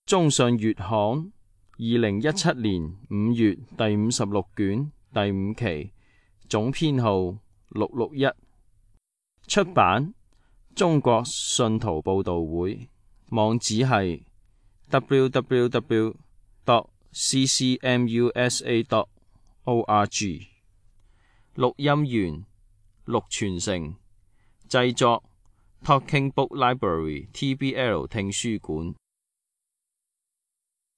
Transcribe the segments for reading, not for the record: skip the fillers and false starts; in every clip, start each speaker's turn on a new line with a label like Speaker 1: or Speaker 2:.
Speaker 1: 中信月刊2017年5月第56卷第5期，總編號661，出版中國信徒報道會，網址係 www.ccmusa.org。 錄音員陸傳承，製作 Talking Book Library TBL 聽書館。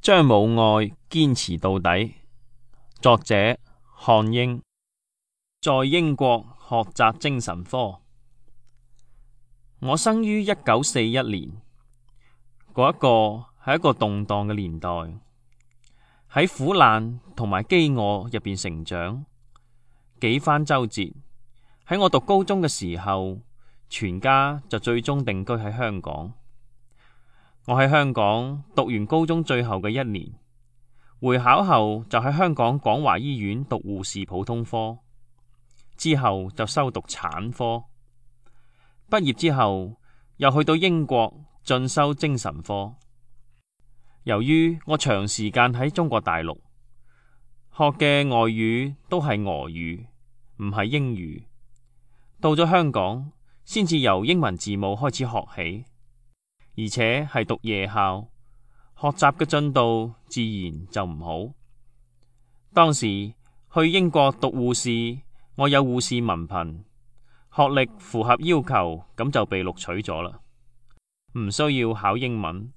Speaker 1: 張母愛堅持到底，作者漢英。在英國學習精神科。我生於1941年，嗰係一個動盪嘅年代，喺苦難同埋飢餓入邊成長，幾番周折。喺我讀高中嘅時候，全家就最終定居喺香港。我喺香港讀完高中最後嘅一年，會考後就喺香港廣華醫院讀護士普通科，之後就修讀產科。畢業之後又去到英國進修精神科。由於我長時間喺中國大陸學嘅外語都係俄語，唔係英語，到咗香港先至由英文字母開始學起，而且係讀夜校，學習嘅進度自然就唔好。當時去英國讀護士，我有護士文憑，學歷符合要求，咁就被錄取咗啦，唔需要考英文。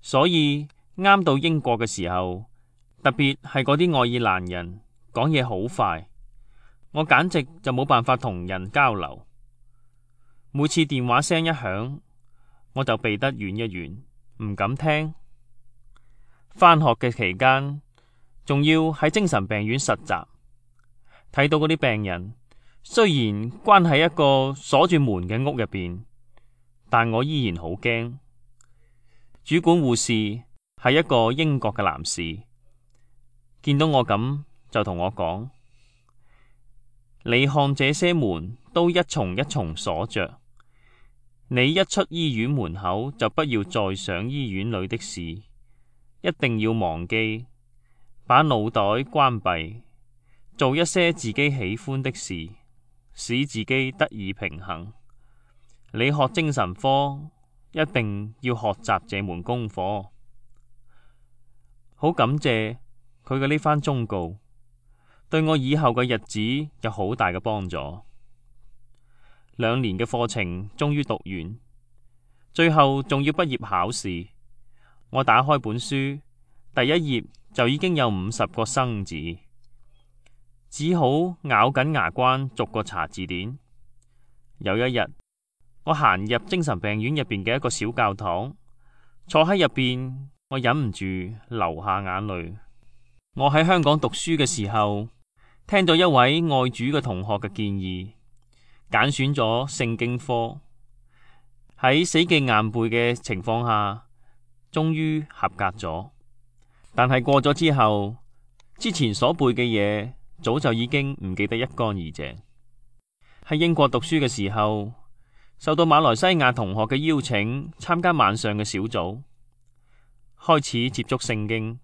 Speaker 1: 所以啱到英國嘅時候，特別係嗰啲愛爾蘭人講嘢好快，我簡直就冇辦法同人交流。每次電話聲一響，我就避得遠一遠，唔敢聽。返學嘅期間，仲要喺精神病院實習，睇到嗰啲病人雖然關喺一個鎖住門嘅屋入邊，但我依然好驚。主管護士係一個英國嘅男士，見到我咁就同我講：你看這些門都一重一重鎖着，你一出醫院門口就不要再想醫院裏的事，一定要忘記，把腦袋關閉，做一些自己喜歡的事，使自己得以平衡。你學精神科一定要學習這門功課。好感謝佢嘅呢番忠告，對我以後嘅日子有好大嘅幫助。2年嘅課程終於讀完，最後仲要畢業考試。我打開本書，第一頁就已經有50個生字，只好咬緊牙關逐個查字典。有一日，我行入精神病院入邊嘅一個小教堂，坐喺入邊，我忍唔住流下眼淚。我喺香港讀書嘅時候，聽咗一位愛主嘅同學嘅建議，揀選咗聖經科，喺死記硬背嘅情況下，終於合格咗。但係過咗之後，之前所背嘅嘢早就已經唔記得一乾二淨。喺英國讀書嘅時候，受到馬來西亞同學嘅邀請，參加晚上嘅小組，開始接觸聖經。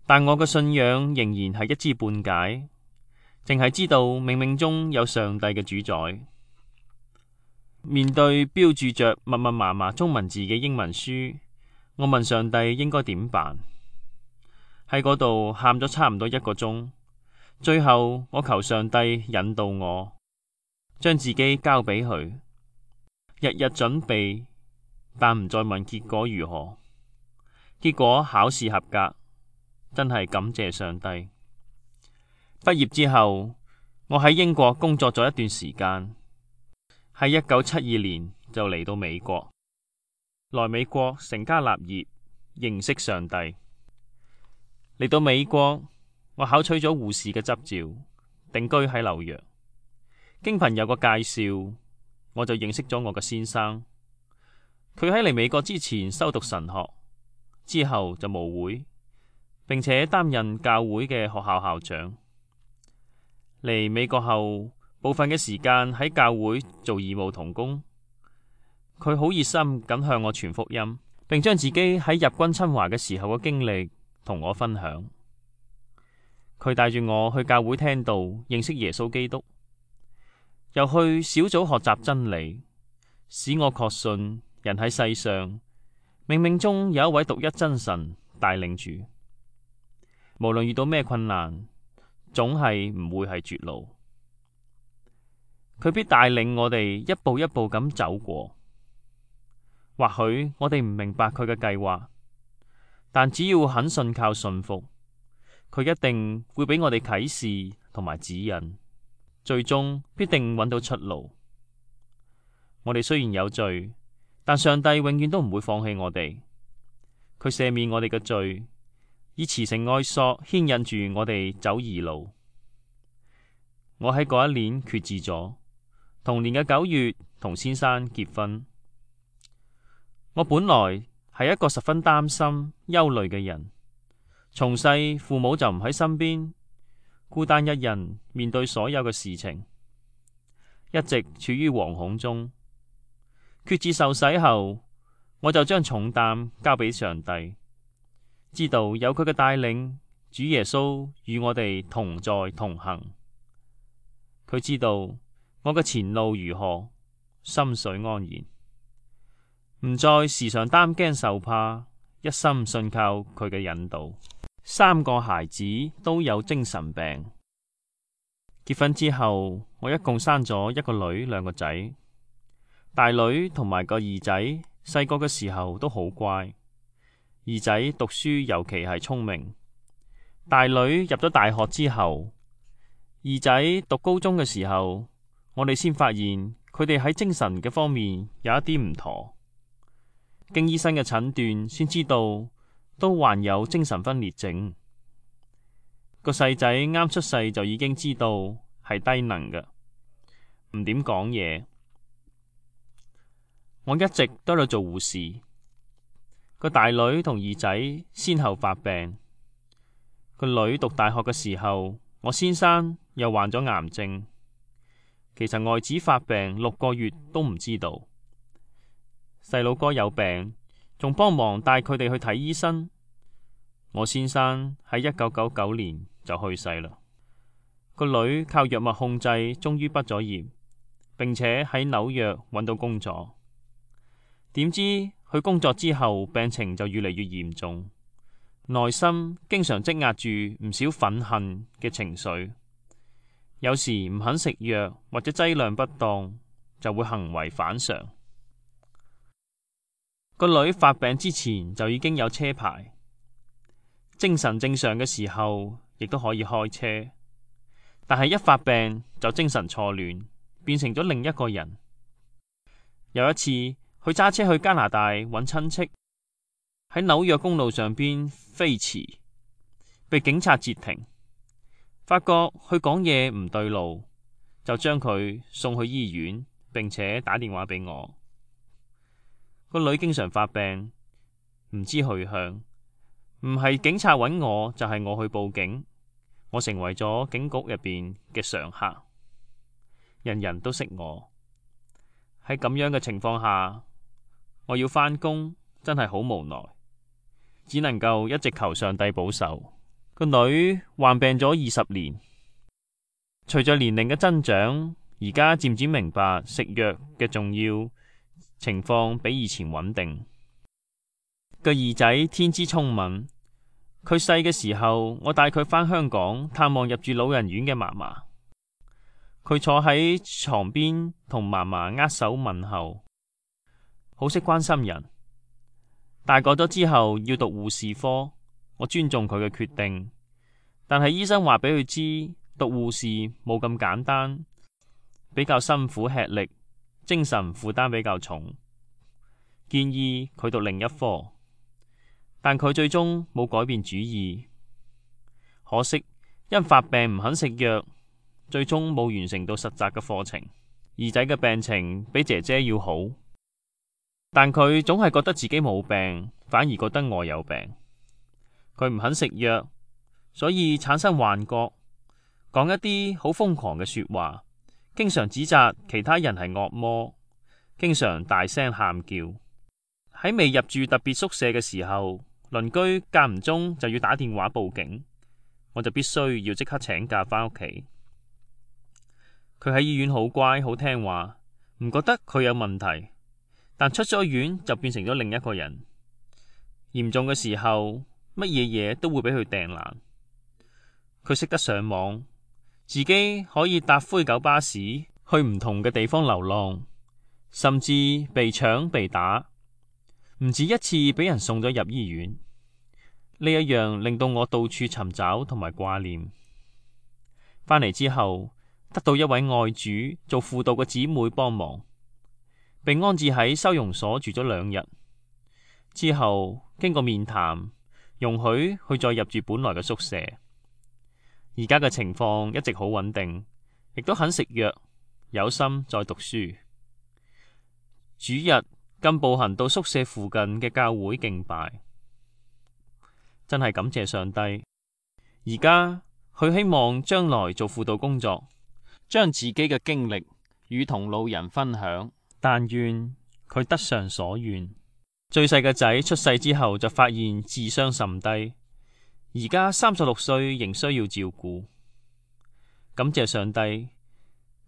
Speaker 1: 但我嘅信仰仍然係一知半解，淨係知道冥冥中有上帝嘅主宰。面對標注着密密麻麻中文字嘅英文書，我問上帝應該點辦。喺嗰度喊咗差唔多1個鐘，最後我求上帝引導我，將自己交俾佢，日日準備，但唔再問結果如何。結果考試合格，真係感謝上帝。畢業之後，我喺英國工作咗一段時間，喺1972年就嚟到美國。來美國成家立業，認識上帝。嚟到美國，我考取咗護士嘅執照，定居喺紐約。經朋友嘅介紹，我就認識咗我嘅先生。佢喺嚟美國之前修讀神學，之後就牧會，並且擔任教會嘅學校校長。嚟美國後，部分嘅時間喺教會做義務同工。佢好熱心咁向我傳福音，並將自己喺日軍侵華嘅時候嘅經歷同我分享。佢帶住我去教會聽道，認識耶穌基督，又去小組學習真理，使我確信人喺世上冥冥中有一位獨一真神帶領住，無論遇到咩困難，總係唔會係絕路。佢必帶領我哋一步一步咁走過。或許我哋唔明白佢嘅計劃，但只要肯信靠信服，佢一定會俾我哋啟示同埋指引，最終必定揾到出路。我哋雖然有罪，但上帝永遠都唔會放棄我哋。佢赦免我哋嘅罪，以慈繩愛索牽引住我哋走義路。我喺嗰一年決志咗，同年嘅9月同先生結婚。我本來係一個十分擔心、憂慮嘅人，從細父母就唔喺身邊，孤單一人面對所有嘅事情，一直處於惶恐中。決志受洗後，我就將重擔交俾上帝，知道有佢嘅帶領，主耶穌與我哋同在同行。佢知道我嘅前路如何，心緒安然。唔再時常擔驚受怕，一心信靠佢嘅引導。3個孩子都有精神病。結婚之後，我一共生咗1個女2個仔。大女同埋個二仔細個嘅時候都好乖，二仔讀書尤其係聰明。大女入咗大學之後，二仔讀高中嘅時候，我哋先發現佢哋喺精神嘅方面有一啲唔妥。經醫生嘅診斷，先知道都患有精神分裂症。個細仔啱出世就已經知道係低能嘅，唔點講嘢。我一直都喺度做護士。個大女同二仔先後發病。個女讀大學嘅時候，我先生又患咗癌症。其實外子發病6個月都唔知道。細佬哥有病，仲幫忙帶佢哋去睇醫生。我先生喺1999年就去世啦。個女靠藥物控制，終於畢咗業，並且喺紐約揾到工作。點知佢工作之後，病情就越嚟越嚴重，內心經常積壓住唔少憤恨嘅情緒。有時唔肯食藥或者劑量不當，就會行為反常。個女發病之前就已經有車牌，精神正常嘅時候亦都可以開車，但係一發病就精神錯亂，變成咗另一個人。有一次，佢揸車去加拿大揾親戚，喺紐約公路上邊飛馳，被警察截停，發覺佢講嘢唔對路，就將佢送去醫院，並且打電話俾我。個女經常發病，唔知去向，唔係警察揾我，就係我去報警。我成為咗警局入邊嘅常客，人人都識我。喺咁樣嘅情況下，我要返工，真係好無奈，只能夠一直求上帝保守。個女患病咗20年，隨着年齡嘅增長，而家漸漸明白食藥嘅重要。情況比以前穩定。個二仔天資聰敏，佢細嘅時候，我帶佢返香港探望入住老人院嘅嫲嫲。佢坐喺床邊同嫲嫲握手問候，好識關心人。大個咗之後要讀護士科，我尊重佢嘅決定，但係醫生話俾佢知讀護士冇咁簡單，比較辛苦吃力。精神負擔比較重，建議佢讀另一科，但佢最終冇改變主意。可惜因發病唔肯食藥，最終冇完成到實習嘅課程。二仔嘅病情比姐姐要好，但佢總係覺得自己冇病，反而覺得我有病。佢唔肯食藥，所以產生幻覺，講一啲好瘋狂嘅說話。經常指責其他人係惡魔，經常大聲喊叫。喺喺未入住特別宿舍嘅時候，鄰居間唔中就要打電話報警，我就必須要即刻請假返屋企。佢喺醫院好乖好聽話，唔覺得佢有問題，但出咗院就變成咗另一個人。嚴重嘅時候，乜嘢嘢都會俾佢掟爛。佢識得上網，自己可以搭灰狗巴士去唔同嘅地方流浪，甚至被搶被打，唔止一次俾人送咗入醫院。呢一樣令到我到處尋找同埋掛念。返嚟之後，得到一位愛主做輔導嘅姊妹幫忙，被安置喺收容所住咗2日。之後經過面談，容許佢再入住本來嘅宿舍。而家嘅情況一直好穩定，亦都肯食藥，有心再讀書。主日更步行到宿舍附近嘅教會敬拜，真係感謝上帝。而家佢希望將來做輔導工作，將自己嘅經歷與同路人分享，但願佢得償所願。最細嘅仔出世之後就發現智商甚低，而家36歲仍需要照顧。感謝上帝，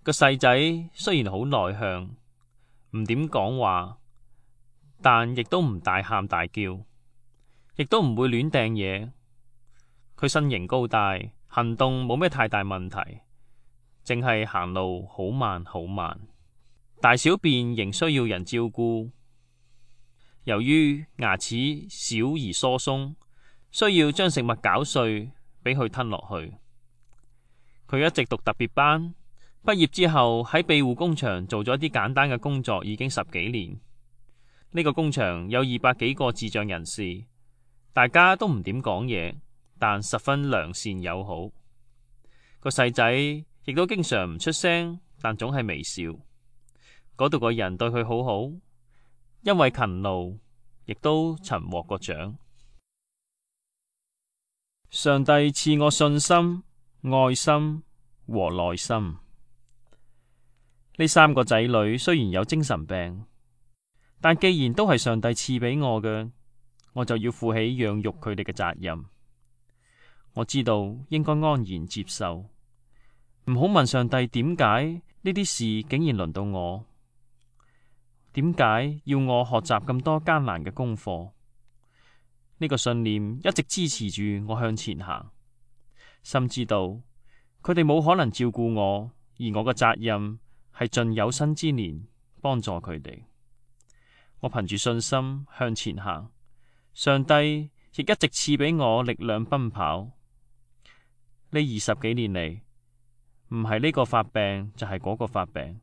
Speaker 1: 個細仔雖然好內向，唔點講話，但亦都唔大喊大叫，亦都唔會亂掟嘢。佢身形高大，行動冇咩太大問題，淨係行路好慢好慢，大小便仍需要人照顧。由於牙齒小而疏鬆，需要將食物攪碎俾佢吞落去。佢一直讀特別班，畢業之後喺庇護工場做咗啲簡單嘅工作，已經10幾年。呢個工場有200幾個智障人士，大家都唔點講嘢，但十分良善友好。個細仔亦都經常唔出聲，但總係微笑。嗰度嘅人對佢好好，因為勤勞，亦都曾獲過獎。上帝賜我信心、愛心和耐心。呢3個仔女雖然有精神病，但既然都係上帝賜俾我嘅，我就要負起養育佢哋嘅責任。我知道應該安然接受，唔好問上帝點解呢啲事竟然輪到我。點解要我學習咁多艱難嘅功課？呢個信念一直支持住我向前行。深知道佢哋冇可能照顧我，而我嘅責任係盡有生之年幫助佢哋。我憑住信心向前行，上帝亦一直賜俾我力量奔跑。呢20幾年嚟，唔係呢個發病就係嗰個發病。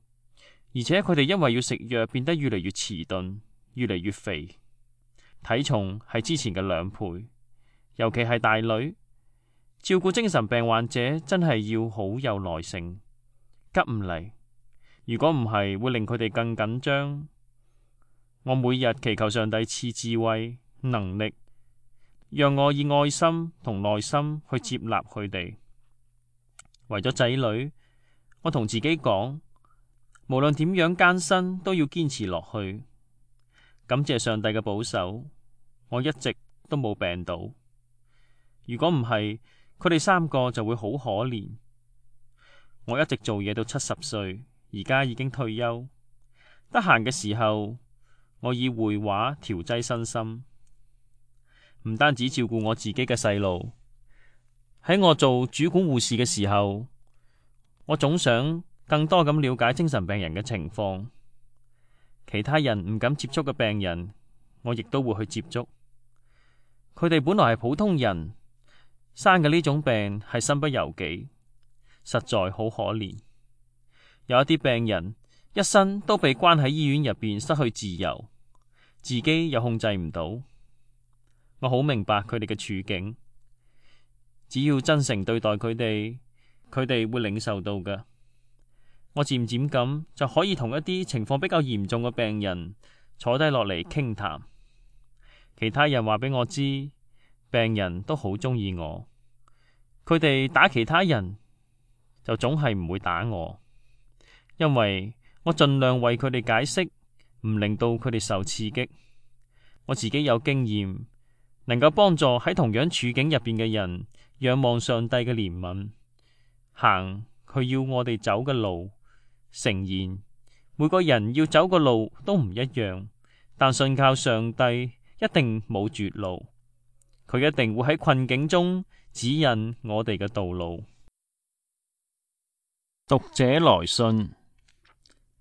Speaker 1: 而且佢哋因為要食藥，變得越嚟越遲鈍，越嚟越肥，體重係之前嘅2倍。尤其係大女，照顧精神病患者真係要好有耐性，急唔嚟。如果唔係，會令佢哋更緊張。我每日祈求上帝賜智慧、能力，讓我以愛心同耐心去接納佢哋。為咗仔女，我同自己講，無論點樣艱辛，都要堅持落去。感謝上帝嘅保守，我一直都冇病倒。如果唔係，佢哋3個就會好可憐。我一直做嘢到70歲，而家已經退休。得閒嘅時候，我以繪畫調劑身心，唔單止照顧我自己嘅細路。喺我做主管護士嘅時候，我總想更多咁了解精神病人嘅情況，其他人唔敢接觸嘅病人，我亦都會去接觸。佢哋本來係普通人，生嘅呢種病係身不由己，實在好可憐。有一啲病人一生都被關喺醫院入邊，失去自由，自己又控制唔到。我好明白佢哋嘅處境，只要真誠對待佢哋，佢哋會領受到嘅。我漸漸咁就可以同一啲情況比較嚴重嘅病人坐低落嚟傾談。其他人話俾我知，病人都好鍾意我。佢哋打其他人就總係唔會打我，因為我盡量為佢哋解釋，唔令到佢哋受刺激。我自己有經驗，能夠幫助喺同樣處境入邊嘅人仰望上帝嘅憐憫，行佢要我哋走嘅路。誠然，每個人要走嘅路都唔一樣，但信靠上帝一定冇絕路，佢一定會喺困境中指引我哋嘅道路。讀者來信，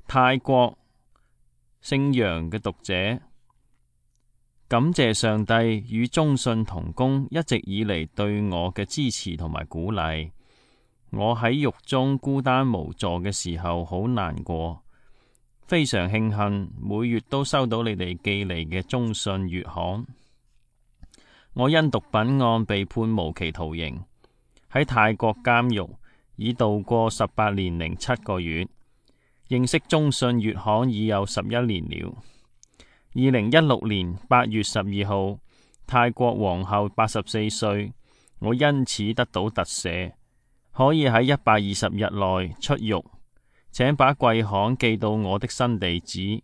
Speaker 1: 泰國姓楊嘅讀者，感謝上帝與中信同工一直以嚟對我嘅支持同埋鼓勵。我喺獄中孤單無助嘅時候好難過，非常慶幸每月都收到你哋寄嚟嘅中信月刊。我因毒品案被判無期徒刑，喺泰國監獄已度過18年零7個月。認識中信月刊已有11年了。2016年8月12號，泰國皇后84歲，我因此得到特赦，可以喺120日內出獄。請把貴刊寄到我的新地址。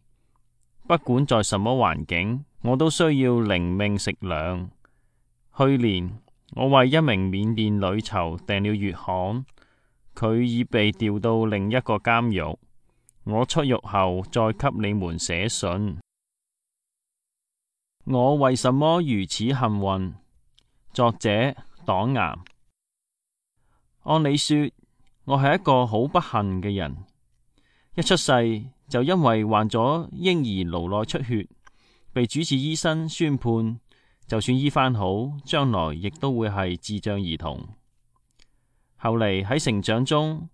Speaker 1: 不管在什麼環境，我都需要靈命食糧。去年我為一名緬甸女囚訂了月刊，佢已被調到另一個監獄。我出獄後再給你們寫信。我為什麼如此幸運？作者黨岩。按理說，我係一個好不幸嘅人，一出世就因為患咗嬰兒顱內出血，被主治醫生宣判，就算醫翻好，將來亦都會係智障兒童。後嚟喺成長中，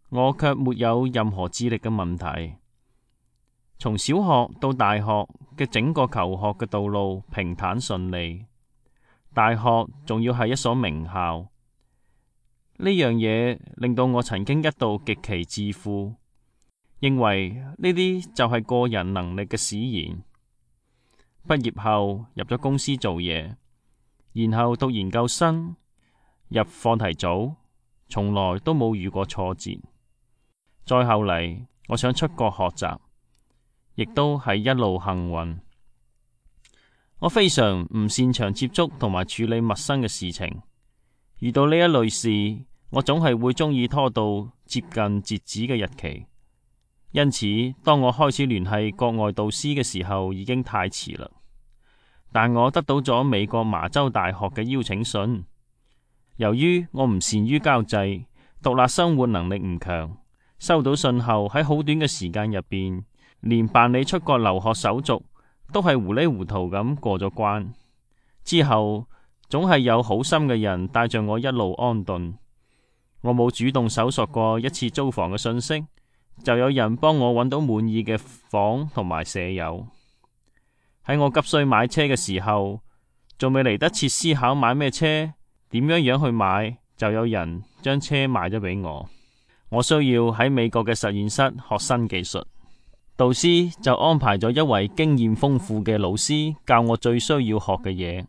Speaker 1: 我卻沒有任何智力嘅問題。從小學到大學嘅整個求學嘅道路平坦順利，大學仲要係一所名校。呢樣嘢令到我曾經一度極其自負，認為呢啲就係個人能力嘅使然。畢業後入咗公司做嘢，然後讀研究生，入課題組，從來都冇遇過挫折。再後嚟，我想出國學習，亦都係一路幸運。我非常唔擅長接觸同埋處理陌生嘅事情，遇到呢一類事，我總係會鍾意拖到接近截止嘅日期。因此，當我開始聯繫國外導師嘅時候，已經太遲啦。但我得到咗美國麻州大學嘅邀請信。由於我唔善於交際，獨立生活能力唔強，收到信後喺好短嘅時間入邊，連辦理出國留學手續都係糊里糊塗咁過咗關。之後總係有好心嘅人帶着我一路安頓。我冇主動搜索過一次租房嘅信息，就有人幫我揾到滿意嘅房同埋舍友。喺我急需買車嘅時候，仲未嚟得切思考買咩車，點樣去買，就有人將車賣咗俾我。我需要喺美國嘅實驗室學新技術，導師就安排咗一位經驗豐富嘅老師教我最需要學嘅嘢。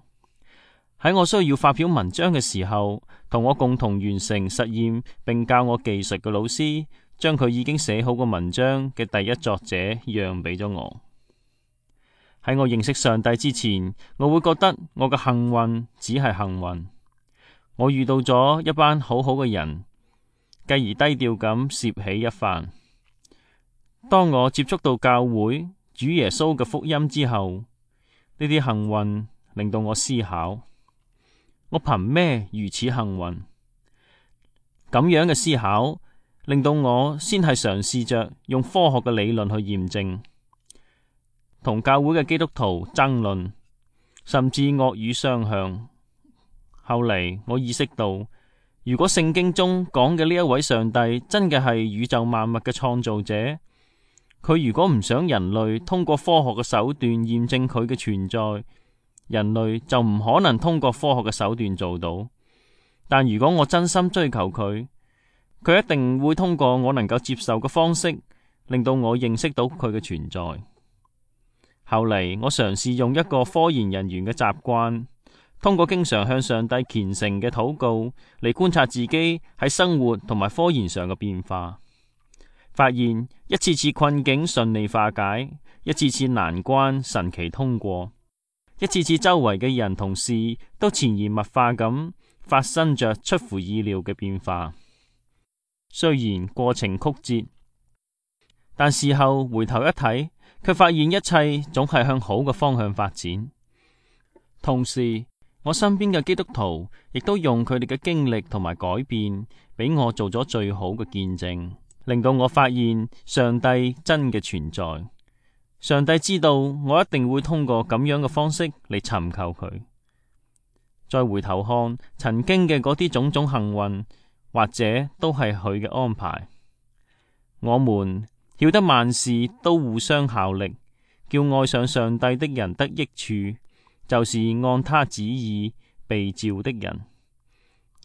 Speaker 1: 喺我需要發表文章嘅時候，同我共同完成實驗並教我技術嘅老師，將佢已經寫好個文章嘅第一作者讓俾咗我。喺我認識上帝之前，我會覺得我嘅幸運只係幸運。我遇到咗一班好好嘅人，繼而低調咁攝起一番。當我接觸到教會主耶穌嘅福音之後，呢啲幸運令到我思考：我憑咩如此幸運？咁樣嘅思考令到我先係嘗試着用科學嘅理論去驗證，同教會嘅基督徒爭論，甚至惡語相向。後嚟我意識到，如果聖經中講嘅呢一位上帝真嘅係宇宙萬物嘅創造者，佢如果唔想人類通過科學嘅手段驗證佢嘅存在，人類就唔可能通過科學嘅手段做到。但如果我真心追求佢，佢一定會通過我能夠接受嘅方式，令到我認識到佢嘅存在。後嚟我嘗試用一個科研人員嘅習慣，通過經常向上帝虔誠嘅禱告嚟觀察自己喺生活同埋科研上嘅變化，發現一次次困境順利化解，一次次難關神奇通過。一次次周圍嘅人同事都潛移默化咁發生着出乎意料嘅變化。雖然過程曲折，但事後回頭一睇，卻發現一切總係向好嘅方向發展。同時，我身邊嘅基督徒亦都用佢哋嘅經歷同埋改變，俾我做咗最好嘅見證，令到我發現上帝真嘅存在。上帝知道我一定會通過咁樣嘅方式嚟尋求佢。再回頭看曾經嘅嗰啲種種幸運，或者都係佢嘅安排。我們曉得萬事都互相效力，叫愛上上帝的人得益處，就是按他旨意被召的人。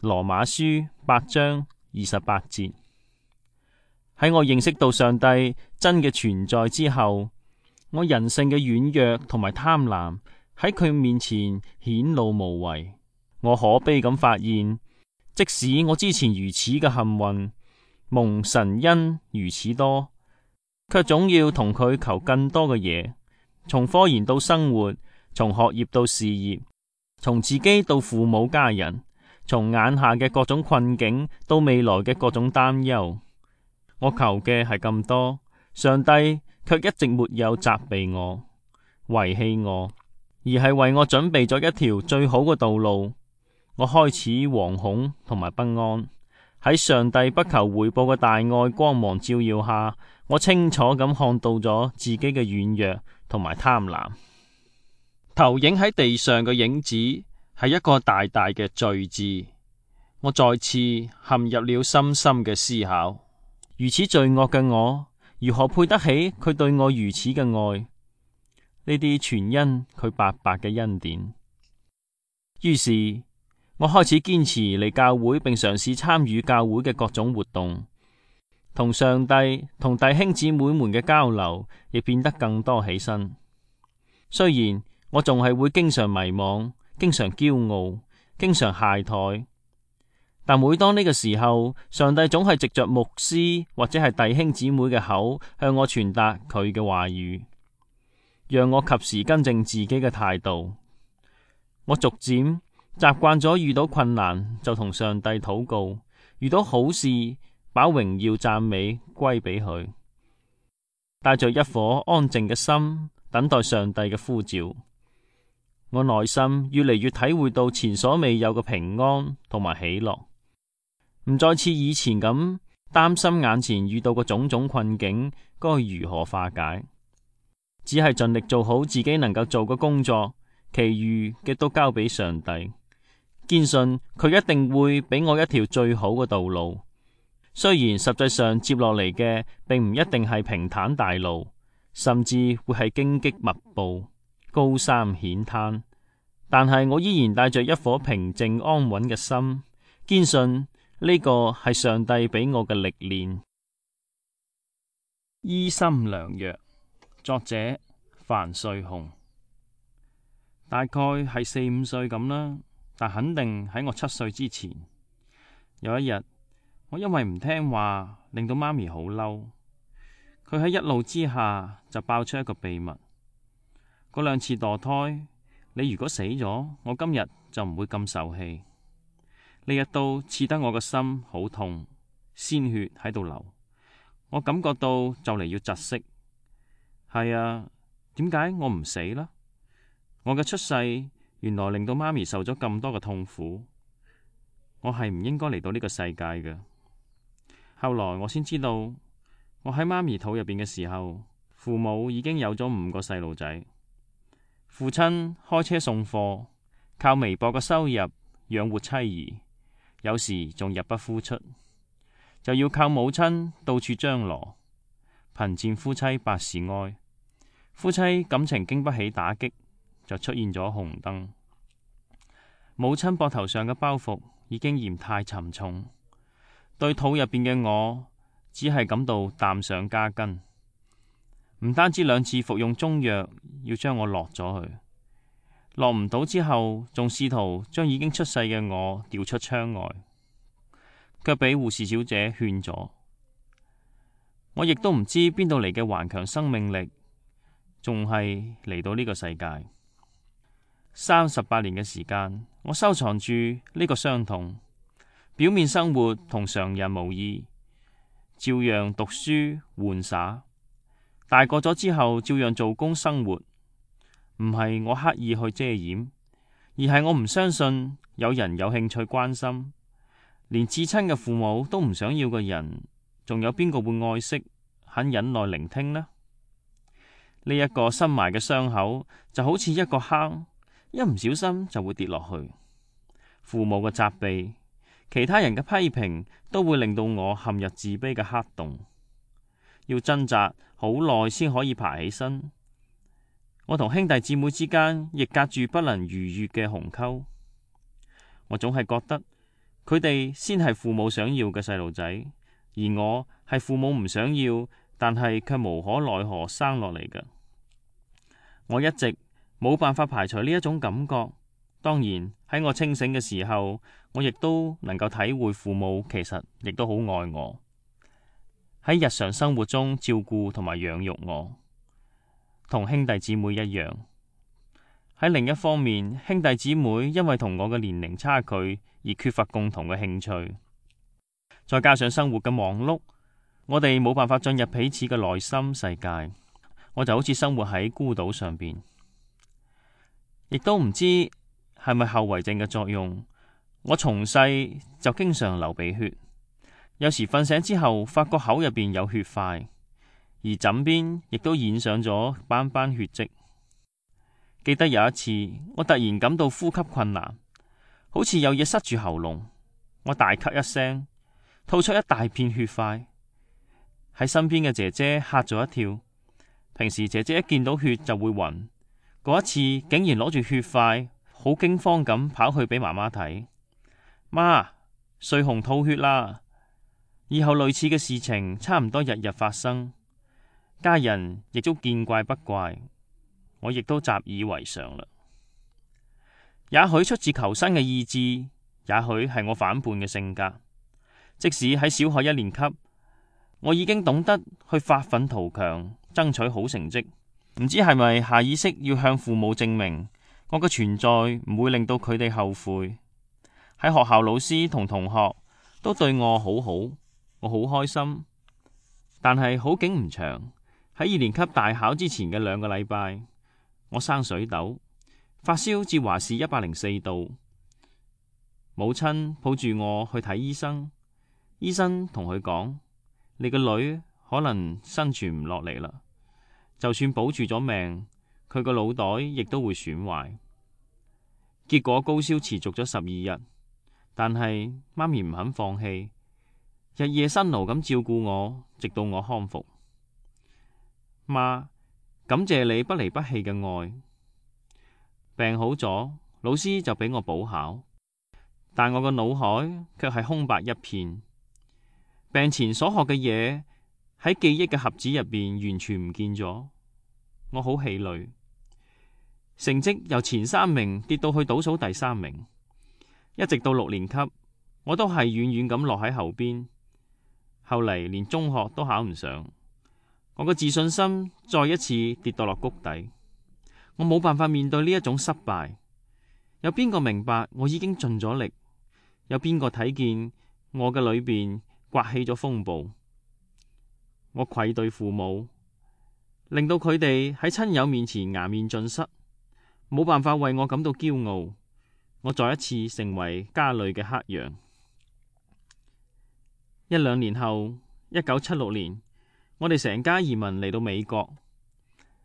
Speaker 1: 羅馬書8章28節。喺我認識到上帝真嘅存在之後，我人性嘅軟弱同埋貪婪喺佢面前顯露無遺。我可悲咁發現，即使我之前如此嘅幸運，蒙神恩如此多，卻總要同佢求更多嘅嘢，從科研到生活，從學業到事業，從自己到父母家人，從眼下嘅各種困境到未來嘅各種擔憂。我求嘅係咁多，上帝卻一直沒有責備我、遺棄我，而係為我準備咗一條最好嘅道路。我開始惶恐同埋不安，喺上帝不求回報嘅大愛光芒照耀下，我清楚咁看到咗自己嘅軟弱同埋貪婪。投影喺地上嘅影子係一個大大嘅罪字，我再次陷入了深深嘅思考。如此罪惡嘅我，如何配得起佢對我如此嘅愛？呢啲全因佢白白嘅恩典。於是我開始堅持嚟教會，並嘗試參與教會嘅各種活動，同上帝同弟兄姊妹們嘅交流亦變得更多起身。雖然我仲係會經常迷惘，經常驕傲，經常懈怠，但每當呢個時候，上帝總係藉着牧師或者係弟兄姊妹嘅口向我傳達佢嘅話語，讓我及時更正自己嘅態度。我逐漸習慣咗遇到困難就同上帝禱告，遇到好事把榮耀讚美歸俾佢，帶着一顆安靜嘅心等待上帝嘅呼召。我內心越嚟越體會到前所未有嘅平安同埋喜樂，唔再似以前咁擔心眼前遇到嘅種種困境該如何化解，只係盡力做好自己能夠做嘅工作，其餘嘅都交俾上帝。堅信佢一定會俾我一條最好嘅道路，雖然實際上接落嚟嘅並唔一定係平坦大路，甚至會係荊棘密布、高山險灘，但係我依然帶着一顆平靜安穩嘅心，堅信呢個係上帝俾我嘅歷練。醫心良藥，作者范瑞紅。大概係4、5歲咁啦。但肯定喺我7歲之前，有一日，我因為唔聽話，令到媽咪好嬲。佢喺一怒之下就爆出一個秘密：嗰2次墮胎，你如果死咗，我今日就唔會咁受氣。呢一刀刺得我個心好痛，鮮血喺度流，我感覺到就嚟要窒息。係啊，點解我唔死啦？我嘅出世原來令到媽咪受咗咁多嘅痛苦，我係唔應該嚟到呢個世界嘅。後來我先知道，我喺媽咪肚入邊嘅時候，父母已經有咗5個細路仔。父親開車送貨，靠微薄嘅收入養活妻兒，有時仲入不敷出，就要靠母親到處張羅，貧賤夫妻百事哀。夫妻感情經不起打擊，就出現咗紅燈。母親膊頭上嘅包袱已經嫌太沉重，對肚入邊嘅我只係感到擔上加斤。唔單止2次服用中藥要將我落咗去，落唔到之後，仲試圖將已經出世嘅我掉出窗外，卻俾護士小姐勸咗。我亦都唔知邊度嚟嘅頑強生命力，仲係嚟到呢個世界。38年嘅時間，我收藏住呢個傷痛。表面生活同常人無異，照樣讀書玩耍。大個咗之後，照樣做工生活。唔係我刻意去遮掩，而係我唔相信有人有興趣關心。連至親嘅父母都唔想要嘅人，仲有邊個會愛惜、肯忍耐聆聽呢？呢一個深埋嘅傷口就好似一個坑，一唔小心就會跌落去。父母嘅責備，其他人嘅批評，都會令到我陷入自卑嘅黑洞，要掙扎好耐先可以爬起身。我同兄弟姊妹之間亦隔住不能逾越嘅鴻溝。我總係覺得佢哋先係父母想要嘅細路仔，而我係父母唔想要，但係卻無可奈何生落嚟嘅。我一直冇辦法排除呢一種感覺。當然喺我清醒嘅時候，我亦都能夠體會父母其實亦都好愛我，喺日常生活中照顧同埋養育我，同兄弟姊妹一樣。喺另一方面，兄弟姊妹因為同我嘅年齡差距而缺乏共同嘅興趣，再加上生活嘅忙碌，我哋冇辦法進入彼此嘅內心世界。我就好似生活喺孤島上邊，亦都唔知係咪後遺症嘅作用。我從細就經常流鼻血，有時瞓醒之後發覺口入邊有血塊，而枕邊亦都染上咗斑斑血跡。記得有一次，我突然感到呼吸困難，好似有嘢塞住喉嚨，我大咳一聲，吐出一大片血塊。喺身邊嘅姐姐嚇咗一跳。平時姐姐一見到血就會暈，嗰一次竟然攞住血塊，好驚慌咁跑去俾媽媽睇。媽，瑞紅吐血啦！以後類似嘅事情差唔多日日發生，家人亦都見怪不怪，我亦都習以為常啦。也許出自求生嘅意志，也許係我反叛嘅性格。即使喺小學1年級，我已經懂得去發奮圖強，爭取好成績。唔知係咪下意識要向父母證明我嘅存在唔會令到佢哋後悔。喺學校，老師同同學都對我好好，我好開心。但係好景唔長，喺2年級大考之前嘅2個禮拜，我生水痘，發燒至華氏104度。母親抱住我去睇醫生，醫生同佢講：你個女可能生存唔落嚟啦，就算保住咗命，佢個腦袋亦都會損壞。結果高燒持續咗12日，但係媽咪唔肯放棄，日夜辛勞咁照顧我，直到我康復。媽，感謝你不離不棄嘅愛。病好咗，老師就俾我補考，但我個腦海卻係空白一片。病前所學嘅嘢喺記憶嘅盒子入邊完全唔見咗，我好氣餒。成績由前3名跌到去倒數第3名，一直到6年級，我都係遠遠咁落喺後邊。後嚟連中學都考唔上，我個自信心再一次跌到落谷底。我冇辦法面對呢一種失敗。有邊個明白我已經盡咗力？有邊個睇見我嘅裏邊颳起咗風暴？我愧對父母，令到佢哋喺親友面前顏面盡失，冇辦法為我感到驕傲。我再一次成為家裏嘅黑羊。1-2年後，1976年，我哋成家移民嚟到美國。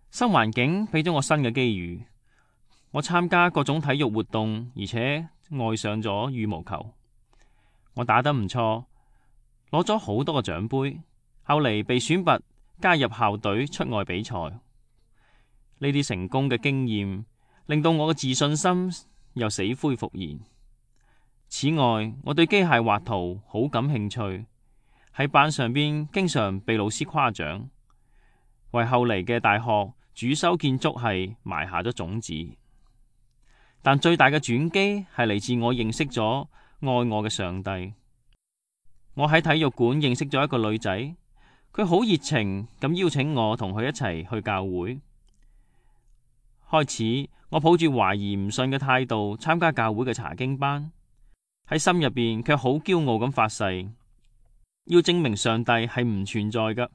Speaker 1: 新環境俾咗我新嘅機遇，我參加各種體育活動，而且愛上咗羽毛球。我打得唔錯，攞咗好多個獎杯。後嚟被選拔加入校隊出外比賽。呢啲成功嘅經驗令到我嘅自信心又死灰復燃。此外，我對機械畫圖好感興趣，喺班上邊經常被老師誇獎，為後嚟嘅大學主修建築系埋下咗種子。但最大嘅轉機係嚟自我認識咗愛我嘅上帝。我喺體育館認識咗一個女仔，佢好熱情咁邀請我同佢一齊去教會。開始我抱住懷疑唔信嘅態度參加教會嘅查經班，喺心入邊卻好驕傲咁發誓，要證明上帝係唔存在㗎。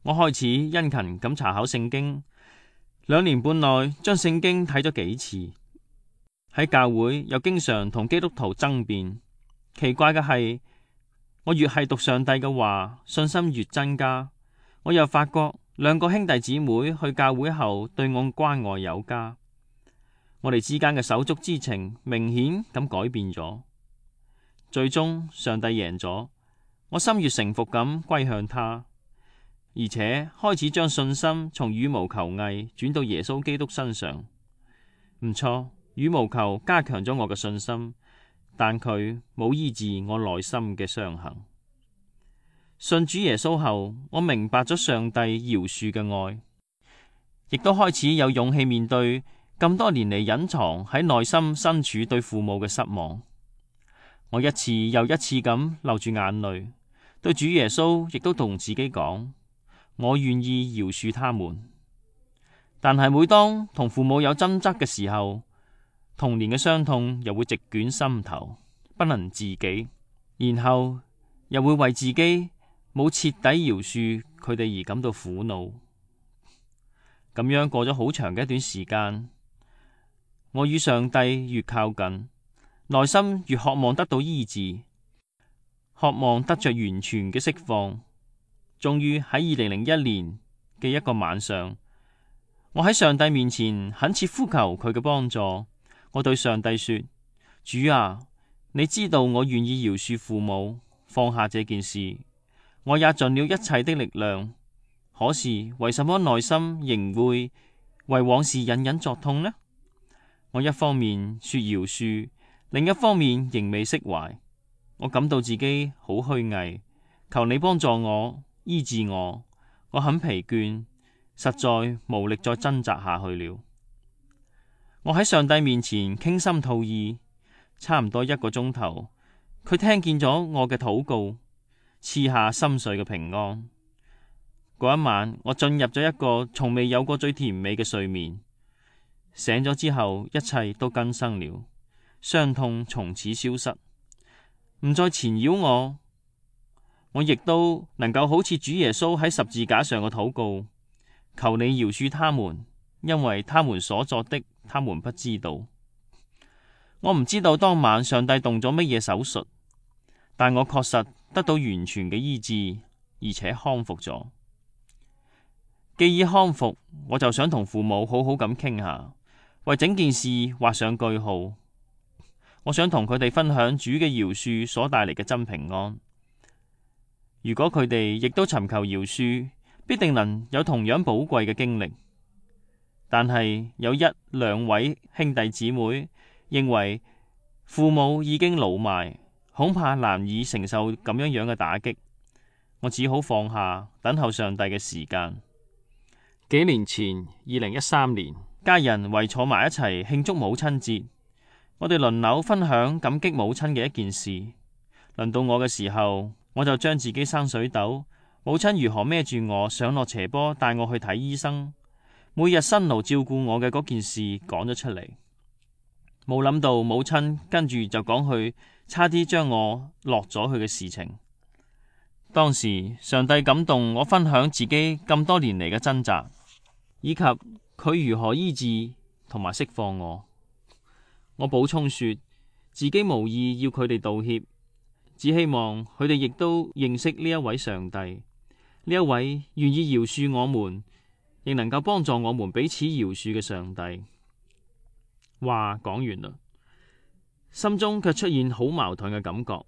Speaker 1: 我開始殷勤咁查考聖經，2年半內將聖經睇咗幾次。喺教會又經常同基督徒爭辯。奇怪嘅係，我越係讀上帝嘅話，信心越增加。我又發覺2個兄弟姊妹去教會後對我關愛有加，我哋之間嘅手足之情明顯咁改變咗。最終上帝贏咗，我心悅誠服咁歸向他，而且開始將信心從羽毛球藝轉到耶穌基督身上。唔錯，羽毛球加強咗我嘅信心，但佢冇醫治我內心嘅傷痕。信主耶穌後，我明白咗上帝饒恕嘅愛，亦都開始有勇氣面對咁多年嚟隱藏喺內心深處對父母嘅失望。我一次又一次咁流住眼淚，對主耶穌亦都同自己講，我願意饒恕他們。但係每當同父母有爭執嘅時候，童年嘅傷痛又會席捲心頭，不能自己，然後又會為自己冇徹底饒恕佢哋而感到苦惱。咁樣過咗好長嘅一段時間，我與上帝越靠近，內心越渴望得到醫治，渴望得着完全嘅釋放。終於喺2001年嘅一個晚上，我喺上帝面前懇切呼求佢嘅幫助。我對上帝說：主啊，你知道我願意饒恕父母，放下這件事，我也盡了一切的力量。可是為什麼內心仍會為往事隱隱作痛呢？我一方面說饒恕，另一方面仍未釋懷。我感到自己好虛偽，求你幫助我，醫治我。我很疲倦，實在無力再掙扎下去了。我喺上帝面前傾心吐意，差唔多1個鐘頭，佢聽見咗我嘅禱告，賜下心碎嘅平安。嗰一晚，我進入咗一個從未有過最甜美嘅睡眠。醒咗之後，一切都更新了，傷痛從此消失，唔再纏繞我。我亦都能夠好似主耶穌喺十字架上嘅禱告，求你饒恕他們，因為他們所作的，他們不知道。我唔知道當晚上帝動咗乜嘢手術，但我確實得到完全嘅醫治，而且康復咗。既已康復，我就想同父母好好咁傾下，為整件事畫上句號。我想同佢哋分享主嘅饒恕所帶嚟嘅真平安。如果佢哋亦都尋求饒恕，必定能有同樣寶貴嘅經歷。但係有1-2位兄弟姊妹認為父母已經老邁，恐怕難以承受咁樣嘅打擊。我只好放下，等候上帝嘅時間。幾年前，2013年，家人圍坐埋一齊慶祝母親節，我哋輪流分享感激母親嘅一件事。輪到我嘅時候，我就將自己生水痘，母親如何孭住我上落斜坡帶我去睇醫生，每日辛勞照顧我嘅嗰件事講咗出嚟。冇諗到母親跟住就講佢差啲將我落咗去嘅事情。當時上帝感動我分享自己咁多年嚟嘅掙扎，以及佢如何醫治同埋釋放我。我補充說自己無意要佢哋道歉，只希望佢哋亦都認識呢一位上帝，呢一位願意饒恕我們，亦能夠幫助我們彼此饒恕嘅上帝。話講完啦，心中卻出現好矛盾嘅感覺。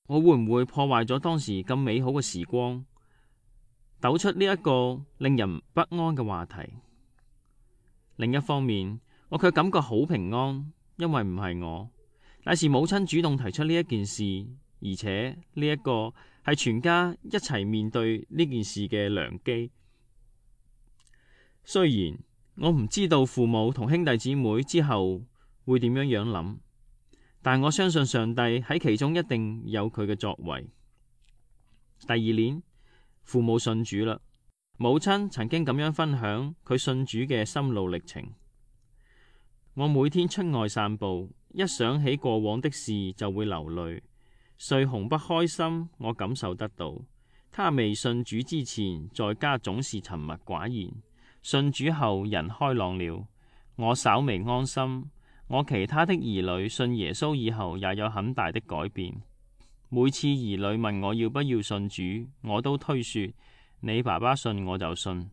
Speaker 1: 我會唔會破壞咗當時咁美好嘅時光，抖出呢一個令人不安嘅話題？另一方面，我卻感覺好平安，因為唔係我，乃是母親主動提出呢一件事，而且呢一個係全家一齊面對呢件事嘅良機。雖然我唔知道父母同兄弟姊妹之後會點樣諗，但我相信上帝喺其中一定有佢嘅作為。第2年，父母信主啦。母親曾經咁樣分享佢信主嘅心路歷程。我每天出外散步，一想起過往的事就會流淚。瑞紅不開心，我感受得到。他未信主之前，在家總是沉默寡言，信主後人開朗了，我稍微安心。我其他的兒女信耶穌以後也有很大的改變。每次兒女問我要不要信主，我都推說你爸爸信我就信。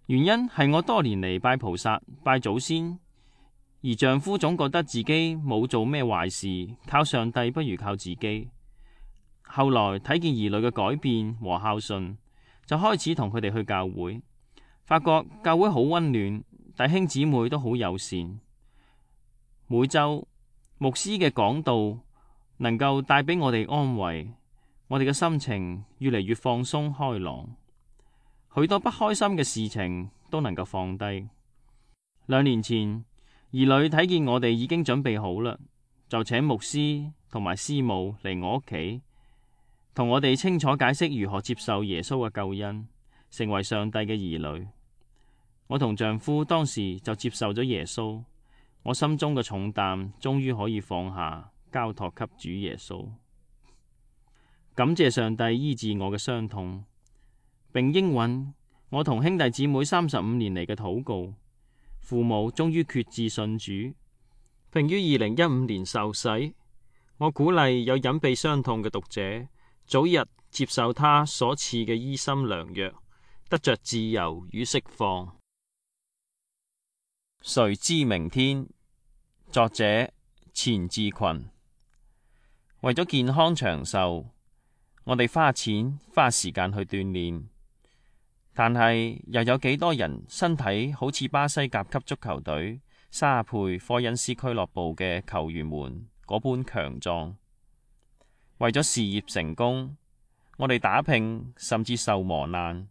Speaker 1: 原因係我多年嚟拜菩薩拜祖先，而丈夫總覺得自己冇做咩壞事，靠上帝不如靠自己。後來睇見兒女嘅改變和孝順，就開始同佢哋去教會，發覺教會好溫暖，弟兄姊妹都好友善。每週牧師嘅講道能夠帶俾我哋安慰，我哋嘅心情越嚟越放鬆開朗，許多不開心嘅事情都能夠放低。2年前，兒女睇見我哋已經準備好啦，就請牧師同埋師母嚟我屋企，同我哋清楚解釋如何接受耶穌嘅救恩，成為上帝嘅兒女。我同丈夫當時就接受咗耶穌，我心中嘅重擔終於可以放下，交託給主耶穌。感謝上帝醫治我嘅傷痛，並應允我同兄弟姊妹35年嚟嘅禱告。父母終於決志信主，並於2015年受洗。我鼓勵有隱秘傷痛嘅讀者，早日接受他所賜嘅醫心良藥，得着自由與釋放。誰知明天？作者錢志群。為咗健康長壽，我哋花錢花時間去鍛煉，但係又有幾多人身體好似巴西甲級足球隊沙佩科恩斯俱樂部嘅球員們嗰般強壯？為咗事業成功，我哋打拼甚至受磨難，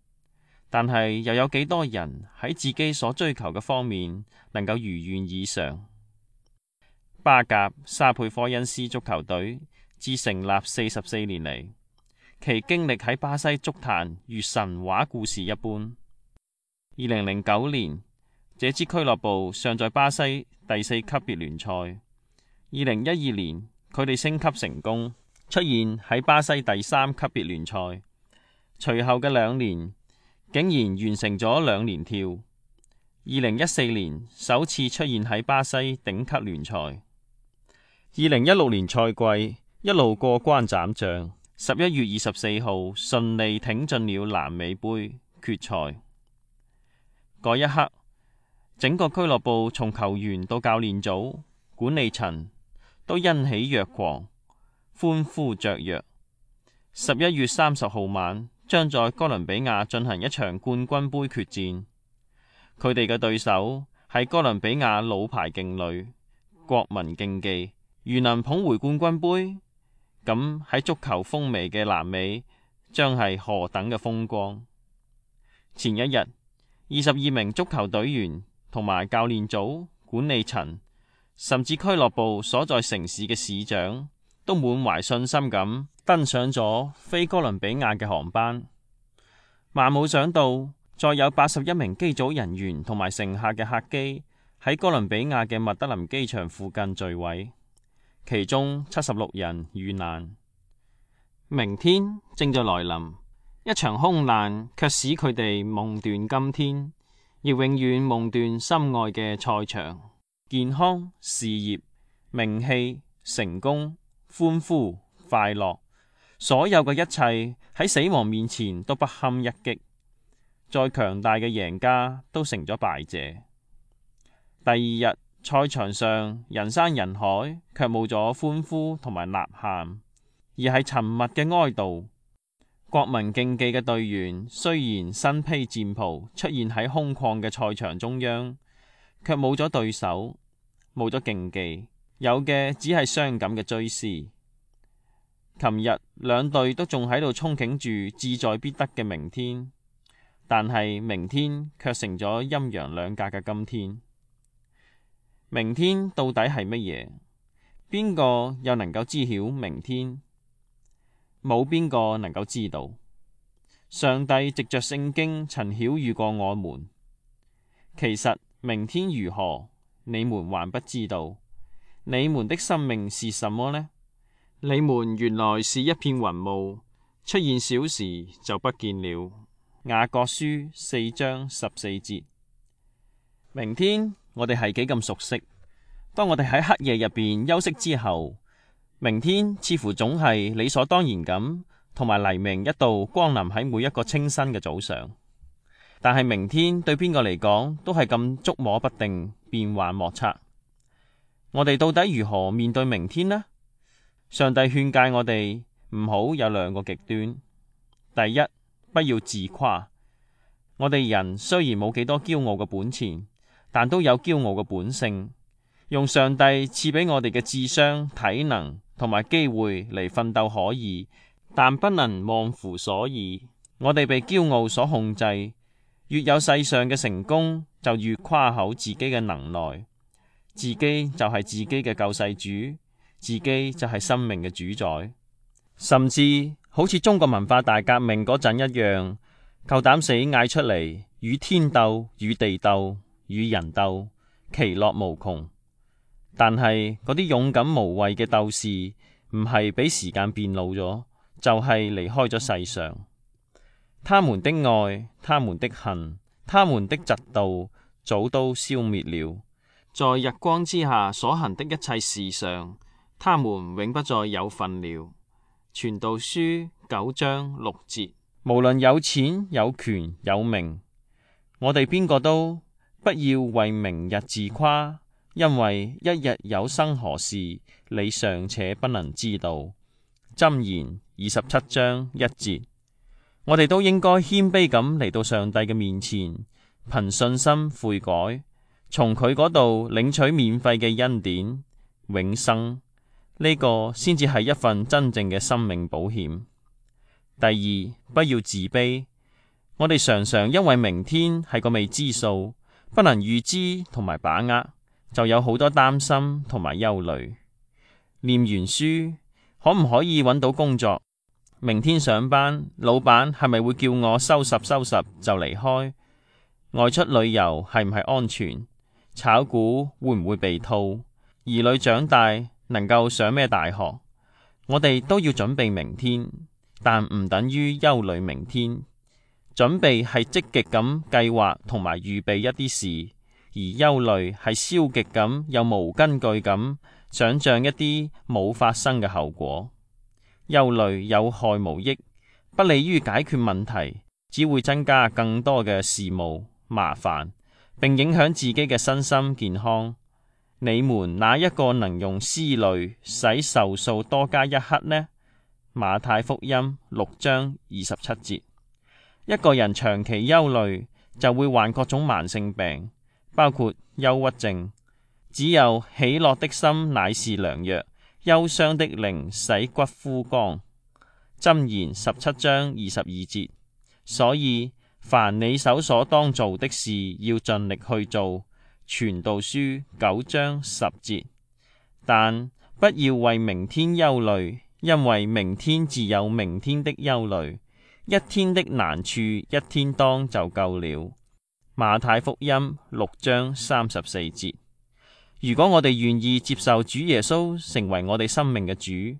Speaker 1: 但係又有幾多人喺自己所追求嘅方面能夠如願以償？巴甲沙佩科恩斯足球隊自成立44年嚟，其經歷喺巴西足壇如神話故事一般。2009年，這支俱樂部尚在巴西第4級別聯賽。2012年，佢哋升級成功，出現喺巴西第3級別聯賽。隨後嘅2年，竟然完成咗2年跳。2014年，首次出現喺巴西頂級聯賽。2016年賽季一路過關斬將，11月24號順利挺進了南美杯決賽。嗰一刻，整個俱樂部從球員到教練組、管理層都欣喜若狂，歡呼雀躍。11月30號晚，將在哥倫比亞進行一場冠軍杯決戰。佢哋嘅對手係哥倫比亞老牌勁旅國民競技。如能捧回冠軍杯，咁喺足球風靡嘅南美將係何等嘅風光。前一日，22名足球隊員同埋教練組、管理層，甚至俱樂部所在城市嘅市長，都滿懷信心咁登上咗飛哥倫比亞嘅航班。萬冇想到，再有81名機組人員同埋乘客嘅客機喺哥倫比亞嘅麥德林機場附近墜毀。其中76人遇難。明天正在來臨，一場空難卻使佢哋夢斷今天，亦永遠夢斷心愛嘅賽場。健康、事業、名氣、成功、歡呼、快樂，所有嘅一切喺死亡面前都不堪一擊。再強大嘅贏家都成咗敗者。第二日，賽場上人山人海，卻冇咗歡呼同埋吶喊，而係沉默嘅哀悼。國民競技嘅隊員雖然身披戰袍出現喺空曠嘅賽場中央，卻冇咗對手，冇咗競技，有嘅只係傷感嘅追思。琴日兩隊都仲喺度憧憬住志在必得嘅明天，但係明天卻成咗陰陽兩隔嘅今天。明天到底係乜嘢？邊個又能夠知曉明天？冇邊個能夠知道。上帝藉着聖經曾曉諭過我們，其實明天如何，你們還不知道。你們的生命是什麼呢？你們原來是一片雲霧，出現小時就不見了。雅各書4章14節。明天我哋係幾咁熟悉？當我哋喺黑夜入邊休息之後，明天似乎總係理所當然咁，同埋黎明一度光臨喺每一個清新嘅早上。但係明天對邊個嚟講都係咁捉摸不定，變幻莫測。我哋到底如何面對明天呢？上帝勸誡我哋唔好有兩個極端。第一，不要自誇。我哋人雖然冇幾多驕傲嘅本錢，但都有驕傲嘅本性。用上帝賜俾我哋嘅智商、體能同埋機會嚟奮鬥可以，但不能忘乎所以。我哋被驕傲所控制，越有世上嘅成功，就越誇口自己嘅能耐。自己就係自己嘅救世主，自己就係生命嘅主宰。甚至好似中國文化大革命嗰陣一樣，夠膽死嗌出嚟，與天鬥、與地鬥、與人鬥，其樂無窮。但係嗰啲勇敢無畏嘅鬥士，唔係俾時間變老咗，就係離開咗世上。他們的愛、他們的恨、他們的嫉妒，早都消滅了。在日光之下所行的一切事上，他們永不再有份了。傳道書9章6節。無論有錢有權有名，我哋邊個都不要為明日自誇，因為一日有生何事，你尚且不能知道。箴言27章1節。我哋都應該謙卑咁嚟到上帝嘅面前，憑信心悔改，從佢嗰度領取免費嘅恩典永生。呢個先至係一份真正嘅生命保險。第二，不要自卑。我哋常常因為明天係個未知數，不能預知同埋把握，就有好多擔心同埋憂慮。念完書，可唔可以揾到工作？明天上班，老闆係咪會叫我收拾收拾就離開？外出旅遊係唔係安全？炒股會唔會被套？兒女長大能夠上咩大學？我哋都要準備明天，但唔等於憂慮明天。準備係積極咁計劃同埋預備一啲事，而憂慮係消極咁又無根據咁想象一啲冇發生嘅後果。憂慮有害無益，不利於解決問題，只會增加更多嘅事務麻煩，並影響自己嘅身心健康。你們哪一個能用思慮使壽數多加一刻呢？馬太福音6章27節。一個人長期憂慮，就會患各種慢性病，包括憂鬱症。只有喜樂的心乃是良藥，憂傷的靈使骨枯乾。箴言17章22節。所以凡你手所當做的事，要盡力去做。傳道書9章10節。但不要為明天憂慮，因為明天自有明天的憂慮。一天的難處，一天當就夠了。馬太福音6章34節。如果我哋願意接受主耶穌成為我哋生命嘅主，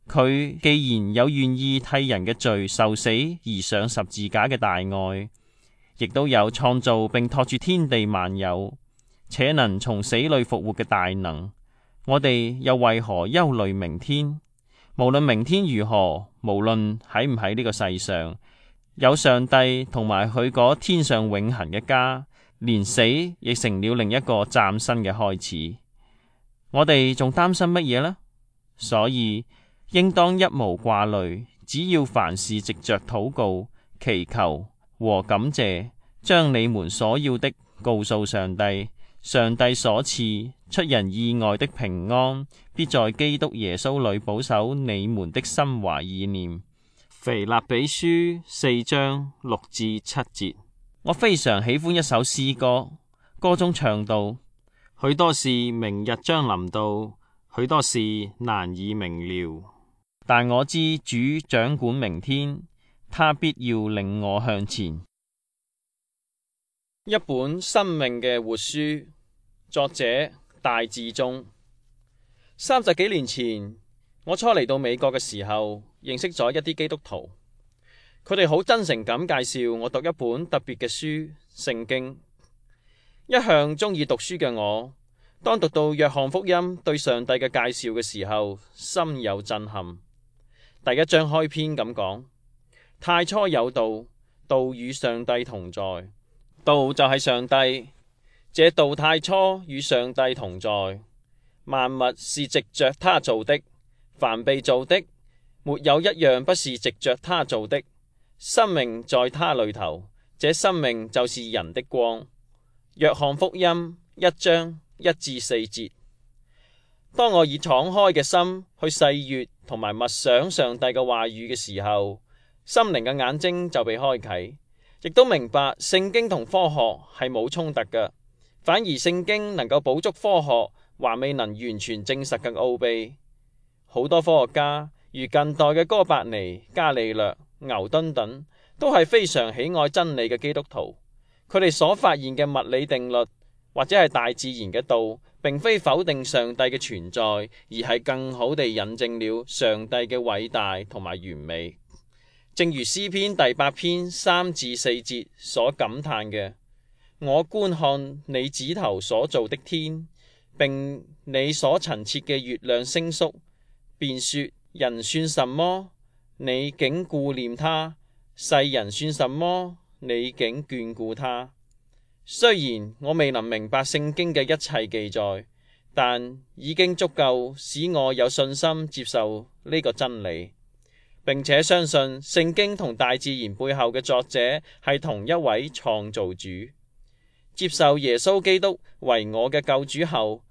Speaker 1: 佢既然有願意替人嘅罪受死而上十字架嘅大愛，亦都有創造並托住天地萬有，且能從死裏復活嘅大能，我哋又為何憂慮明天？無論明天如何，無論喺唔喺呢個世上，有上帝同埋佢嗰天上永恆嘅家，連死亦成了另一個嶄新嘅開始。我哋仲擔心乜嘢呢？所以應當一無掛慮，只要凡事藉着禱告、祈求和感謝，將你們所要的告訴上帝。上帝所賜出人意外的平安，必在基督耶穌裏保守你們的心懷意念。腓立比書4章6至7節。我非常喜歡一首詩歌，歌中唱到：許多事明日將臨到，許多事難以明了，但我知主掌管明天，他必要領我向前。一本生命嘅活書，作者戴志忠。30幾年前，我初嚟到美國嘅時候，認識咗一啲基督徒，佢哋好真誠咁介紹我讀一本特別嘅書《聖經》。一向鍾意讀書嘅我，當讀到約翰福音對上帝嘅介紹嘅時候，心有震撼。第1章開篇咁講：太初有道，道與上帝同在，道就係上帝。這道太初與上帝同在，萬物是藉着他造的，凡被造的，沒有一樣不是藉着他造的。生命在他裏頭，這生命就是人的光。約翰福音1章1至4節。當我以敞開嘅心去細閱同埋默想上帝嘅話語嘅時候，心靈嘅眼睛就被開啟，亦都明白聖經同科學係冇衝突嘅。反而聖經能夠補足科學還未能完全證實嘅奧秘。好多科學家如近代嘅哥白尼、伽利略、牛頓等，都係非常喜愛真理嘅基督徒。佢哋所發現嘅物理定律或者係大自然嘅道，並非否定上帝嘅存在，而係更好地印證了上帝嘅偉大同埋完美。正如詩篇第8篇3至4節所感嘆嘅：我觀看你指頭所造的天，並你所陳設嘅月亮星宿，便說：人算什麼？你竟顧念他；世人算什麼？你竟眷顧他。雖然我未能明白聖經嘅一切記載，但已經足夠使我有信心接受呢個真理，並且相信聖經同大自然背後嘅作者係同一位創造主。接受耶穌基督為我嘅救主後，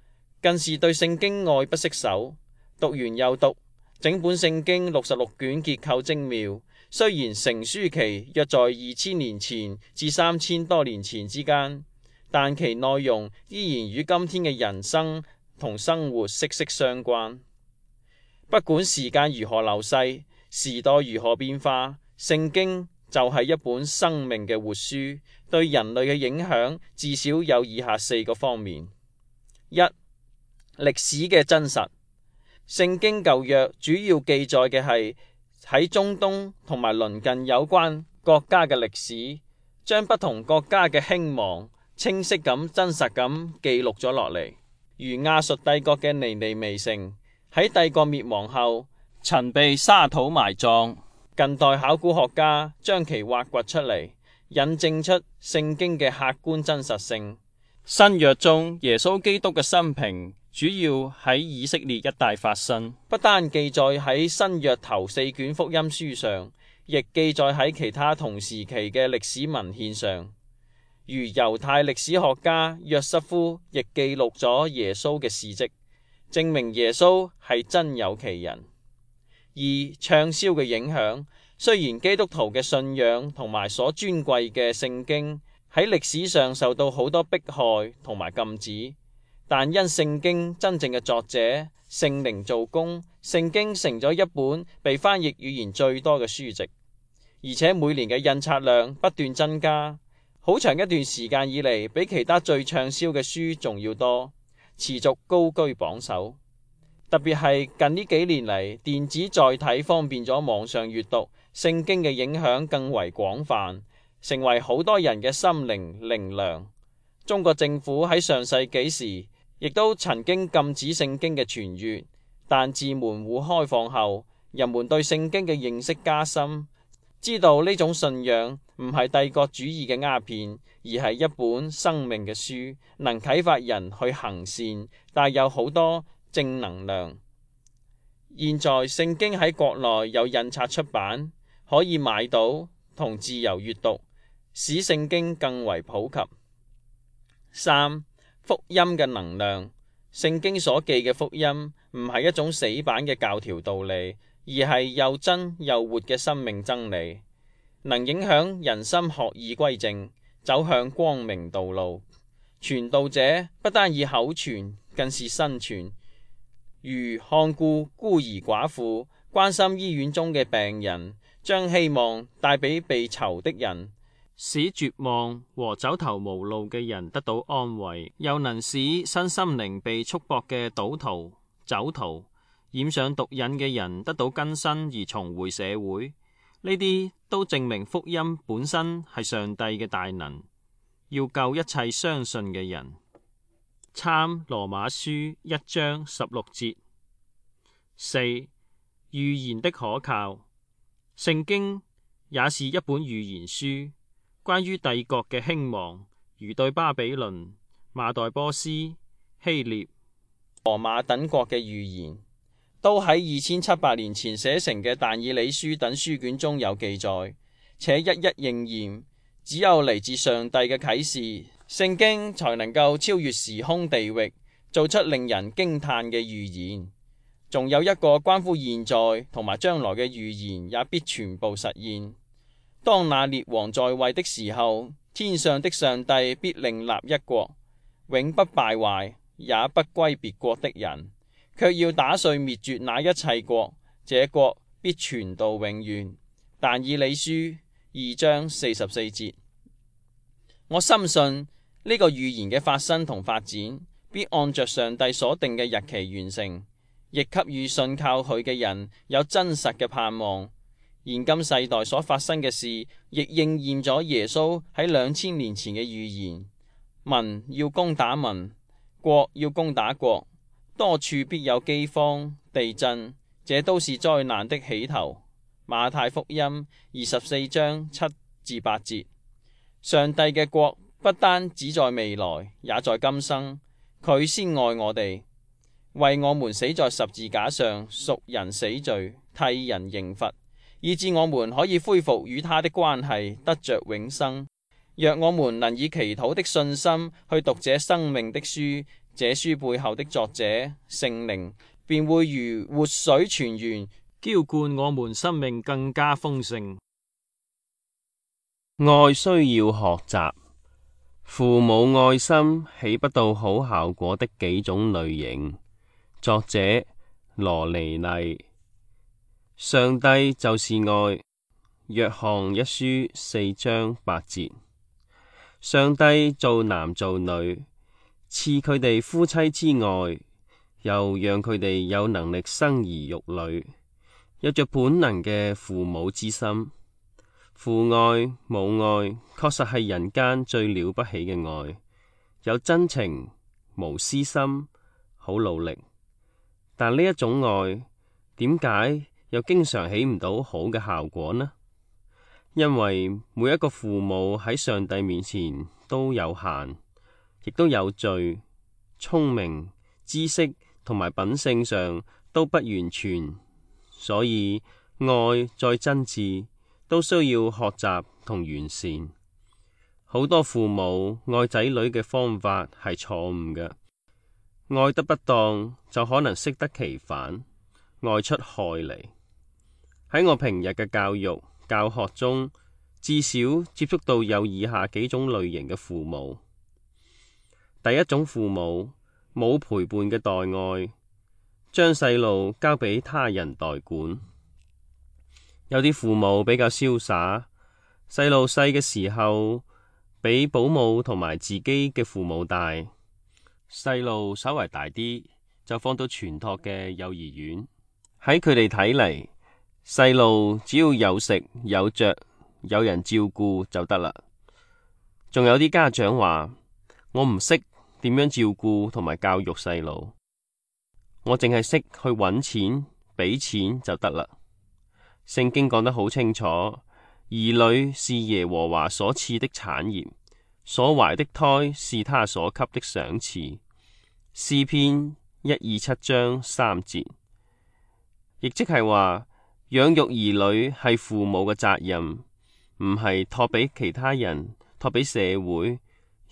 Speaker 1: 更是對聖經愛不釋手，讀完又讀，整本聖經66卷結構精妙。雖然成書期約在2000年前至3000多年前之間，但其內容依然與今天嘅人生同生活息息相關。不管時間如何流逝，時代如何變化，聖經就係一本生命嘅活書，對人類嘅影響至少有以下4個方面。1. 歷史嘅真實。聖經舊約主要記載嘅係喺中東同埋鄰近有關國家嘅歷史，將不同國家嘅興亡清晰咁真實咁記錄咗落嚟。如亞述帝國嘅尼尼微城喺帝國滅亡後曾被沙土埋葬，近代考古學家將其挖掘出嚟，引證出聖經嘅客觀真實性。新約中耶穌基督嘅生平主要喺以色列一帶發生，不單記載喺新約頭4卷福音書上，亦記載喺其他同時期嘅歷史文獻上。如猶太歷史學家約瑟夫亦記錄咗耶穌嘅事跡，證明耶穌係真有其人。2. 暢銷嘅影響。雖然基督徒嘅信仰同埋所尊貴嘅聖經喺歷史上受到好多迫害同埋禁止，但因聖經真正嘅作者聖靈做工，聖經成咗一本被翻譯語言最多嘅書籍，而且每年嘅印刷量不斷增加，好長一段時間以嚟比其他最暢銷嘅書仲要多，持續高居榜首。特別係近呢幾年嚟，電子載體方便咗網上閱讀，聖經嘅影響更為廣泛，成為好多人嘅心靈靈糧。中國政府喺上世紀時亦都曾經禁止聖經嘅傳閱，但自門戶開放後，人們對聖經嘅認識加深，知道呢種信仰唔係帝國主義嘅鴉片，而係一本生命嘅書，能啟發人去行善，帶有好多正能量。現在聖經喺國內有印刷出版，可以買到同自由閱讀，使聖經更為普及。3. 福音嘅能量。聖經所記嘅福音唔係一種死板嘅教條道理，而係又真又活嘅生命真理，能影響人心學意歸正，走向光明道路。傳道者不單以口傳，更是身傳，如看顧孤兒寡婦，關心醫院中嘅病人，將希望帶俾被囚的人，使絕望和走投無路嘅人得到安慰，又能使身心靈被束縛嘅賭徒、酒徒、染上毒癮嘅人得到更新而重回社會。呢啲都證明福音本身係上帝嘅大能，要救一切相信嘅人。參羅馬書1章16節。4. 預言的可靠。聖經也是一本預言書，關於帝國嘅興亡，如對巴比倫、馬代波斯、希臘、羅馬等國嘅預言，都喺2700年前寫成嘅但以理書等書卷中有記載，且一一應驗。只有嚟自上帝嘅啟示，聖經才能夠超越時空地域，做出令人驚嘆嘅預言。仲有一個關乎現在同埋將來嘅預言，也必全部實現。當那列王在位的時候，天上的上帝必另立一國，永不敗壞，也不歸別國的人，卻要打碎滅絕那一切國，這國必存到永遠。但以理書2章44節。我深信呢個預言嘅發生同發展，必按着上帝所定嘅日期完成，亦給予信靠佢嘅人有真實嘅盼望。現今世代所發生嘅事，亦應驗咗耶穌喺2000年前嘅預言。民要攻打民，國要攻打國，多處必有饑荒、地震，這都是災難的起頭。馬太福音24章7至8節。上帝嘅國不單只在未來，也在今生。佢先愛我哋，為我們死在十字架上，贖人死罪，替人刑罰，以致我們可以恢復與他的關係，得着永生。若我們能以祈禱的信心去讀這生命的書，這書背後的作者聖靈便會如活水泉源，澆灌我們生命更加豐盛。
Speaker 2: 愛需要學習，父母愛心起不到好效果的幾種類型。作者羅尼麗。上帝就是愛。約翰一書4章8節。上帝造男造女，賜佢哋夫妻之愛，又讓佢哋有能力生兒育女，有着本能嘅父母之心。父愛母愛確實係人間最了不起嘅愛，有真情無私心，好努力。但呢一種愛點解又經常起唔到好嘅效果呢？因為每一個父母喺上帝面前都有限，亦都有罪，聰明、知識同埋品性上都不完全，所以愛再真摯都需要學習同完善。好多父母愛仔女嘅方法係錯誤嘅，愛得不當就可能適得其反，愛出害嚟。喺我平日嘅教育教學中，至少接觸到有以下幾種類型嘅父母。第一種父母冇陪伴嘅代愛，將細路交俾他人代管。有啲父母比較瀟灑，細路細嘅時候比保姆同埋自己嘅父母大，細路稍為大啲就放到全托嘅幼兒園。喺佢哋睇嚟，細路只要有食有着有人照顧就得啦。仲有啲家長話，我唔識點樣照顧同埋教育細路，我淨係識去搵錢俾錢就得啦。聖經講得好清楚，兒女是耶和華所賜的產業，所懷的胎是他所給的賞賜。詩篇127章3節，亦即係話養育兒女係父母嘅責任，唔係託俾其他人，託俾社會。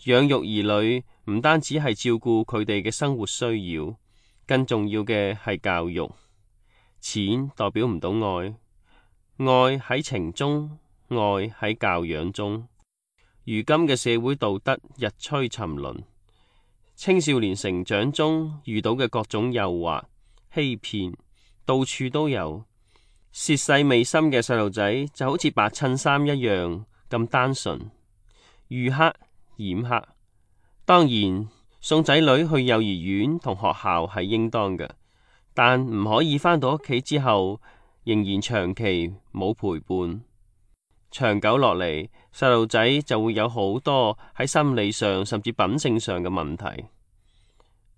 Speaker 2: 養育兒女唔單止係照顧佢哋嘅生活需要，更重要嘅係教育。錢代表唔到愛。愛喺情中，愛喺教養中。如今嘅社會道德日趨沉淪，青少年成長中遇到嘅各種誘惑、欺騙，到處都有。涉世未深嘅細路仔就好似白襯衫一樣，咁單純，遇黑染黑。當然，送仔女去幼兒園同學校係應當嘅，但唔可以返到屋企之後仍然長期冇陪伴。長久落嚟，細路仔就會有好多喺心理上甚至品性上嘅問題。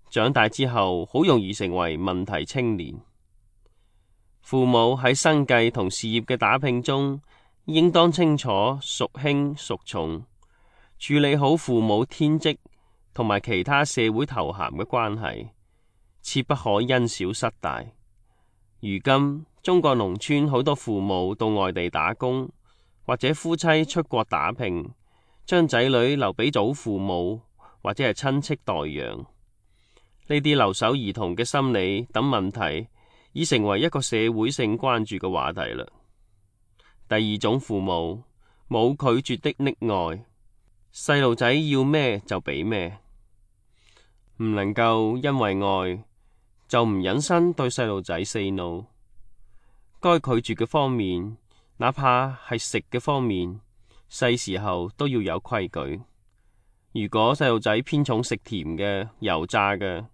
Speaker 2: 長大之後，好容易成為問題青年。父母喺生計同事業嘅打拼中，應當清楚孰輕孰重，處理好父母天職同埋其他社會頭銜嘅關係，切不可因小失大。如今中國農村好多父母到外地打工，或者夫妻出國打拼，將仔女留俾祖父母或者係親戚代養。呢啲留守兒童嘅心理等問題，已成為一個社會性關注嘅話題啦。第二種父母冇拒絕的溺愛，細路仔要咩就俾咩，唔能夠因為愛就唔忍心對細路仔 say no。該拒絕嘅方面，哪怕係食嘅方面，細時候都要有規矩。如果細路仔偏重食甜嘅、油炸嘅，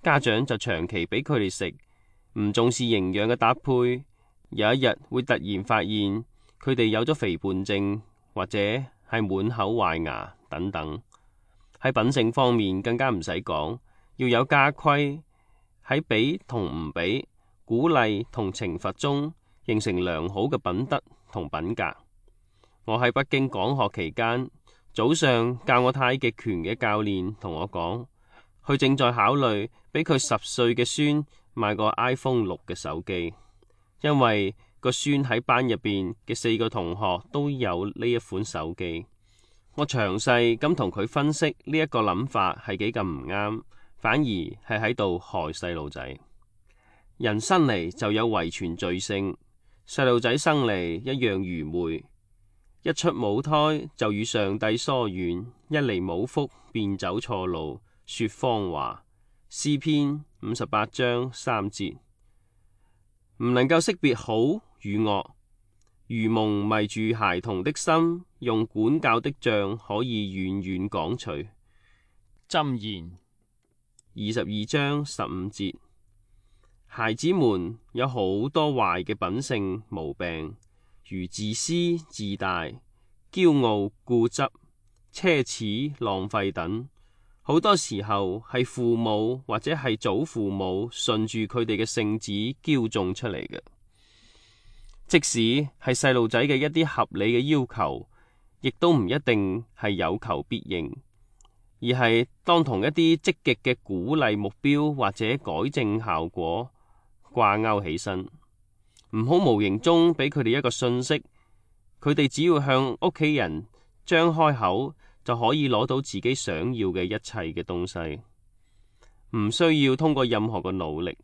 Speaker 2: 家長就長期俾佢哋食，唔重視營養嘅搭配，有一日會突然發現佢哋有咗肥胖症，或者係滿口壞牙等等。喺品性方面更加唔使講，要有家規，喺俾同唔俾、鼓勵同懲罰中形成良好嘅品德同品格。我喺北京講學期間，早上教我太極拳嘅教練同我講，佢正在考慮俾佢10歲嘅孫買個 iPhone 6嘅手機，因為個孫喺班入邊嘅4個同學都有呢一款手機。我詳細咁同佢分析呢一個諗法係幾咁唔啱，反而係喺度害細路仔。人生嚟就有遺傳罪性，細路仔生嚟一樣愚昧，一出母胎就與上帝疏遠，一嚟冇福便走錯路，說謊話。詩篇58章3節，唔能夠識別好與惡，愚蒙迷住孩童的心，用管教的杖可以遠遠趕除。
Speaker 1: 箴言
Speaker 2: 22章15節，孩子們有好多壞嘅品性毛病，如自私自大、驕傲固執、奢侈浪費等。好多時候係父母或者係祖父母順住佢哋嘅性子驕縱出嚟嘅。即使係細路仔嘅一啲合理嘅要求，亦都唔一定係有求必應，而係當同一啲積極嘅鼓勵目標或者改正效果掛鈎起身，唔好無形中俾佢哋一個訊息，佢哋只要向屋企人張開口，就可以攞到自己想要嘅一切嘅東西，唔需要通過任何嘅努力。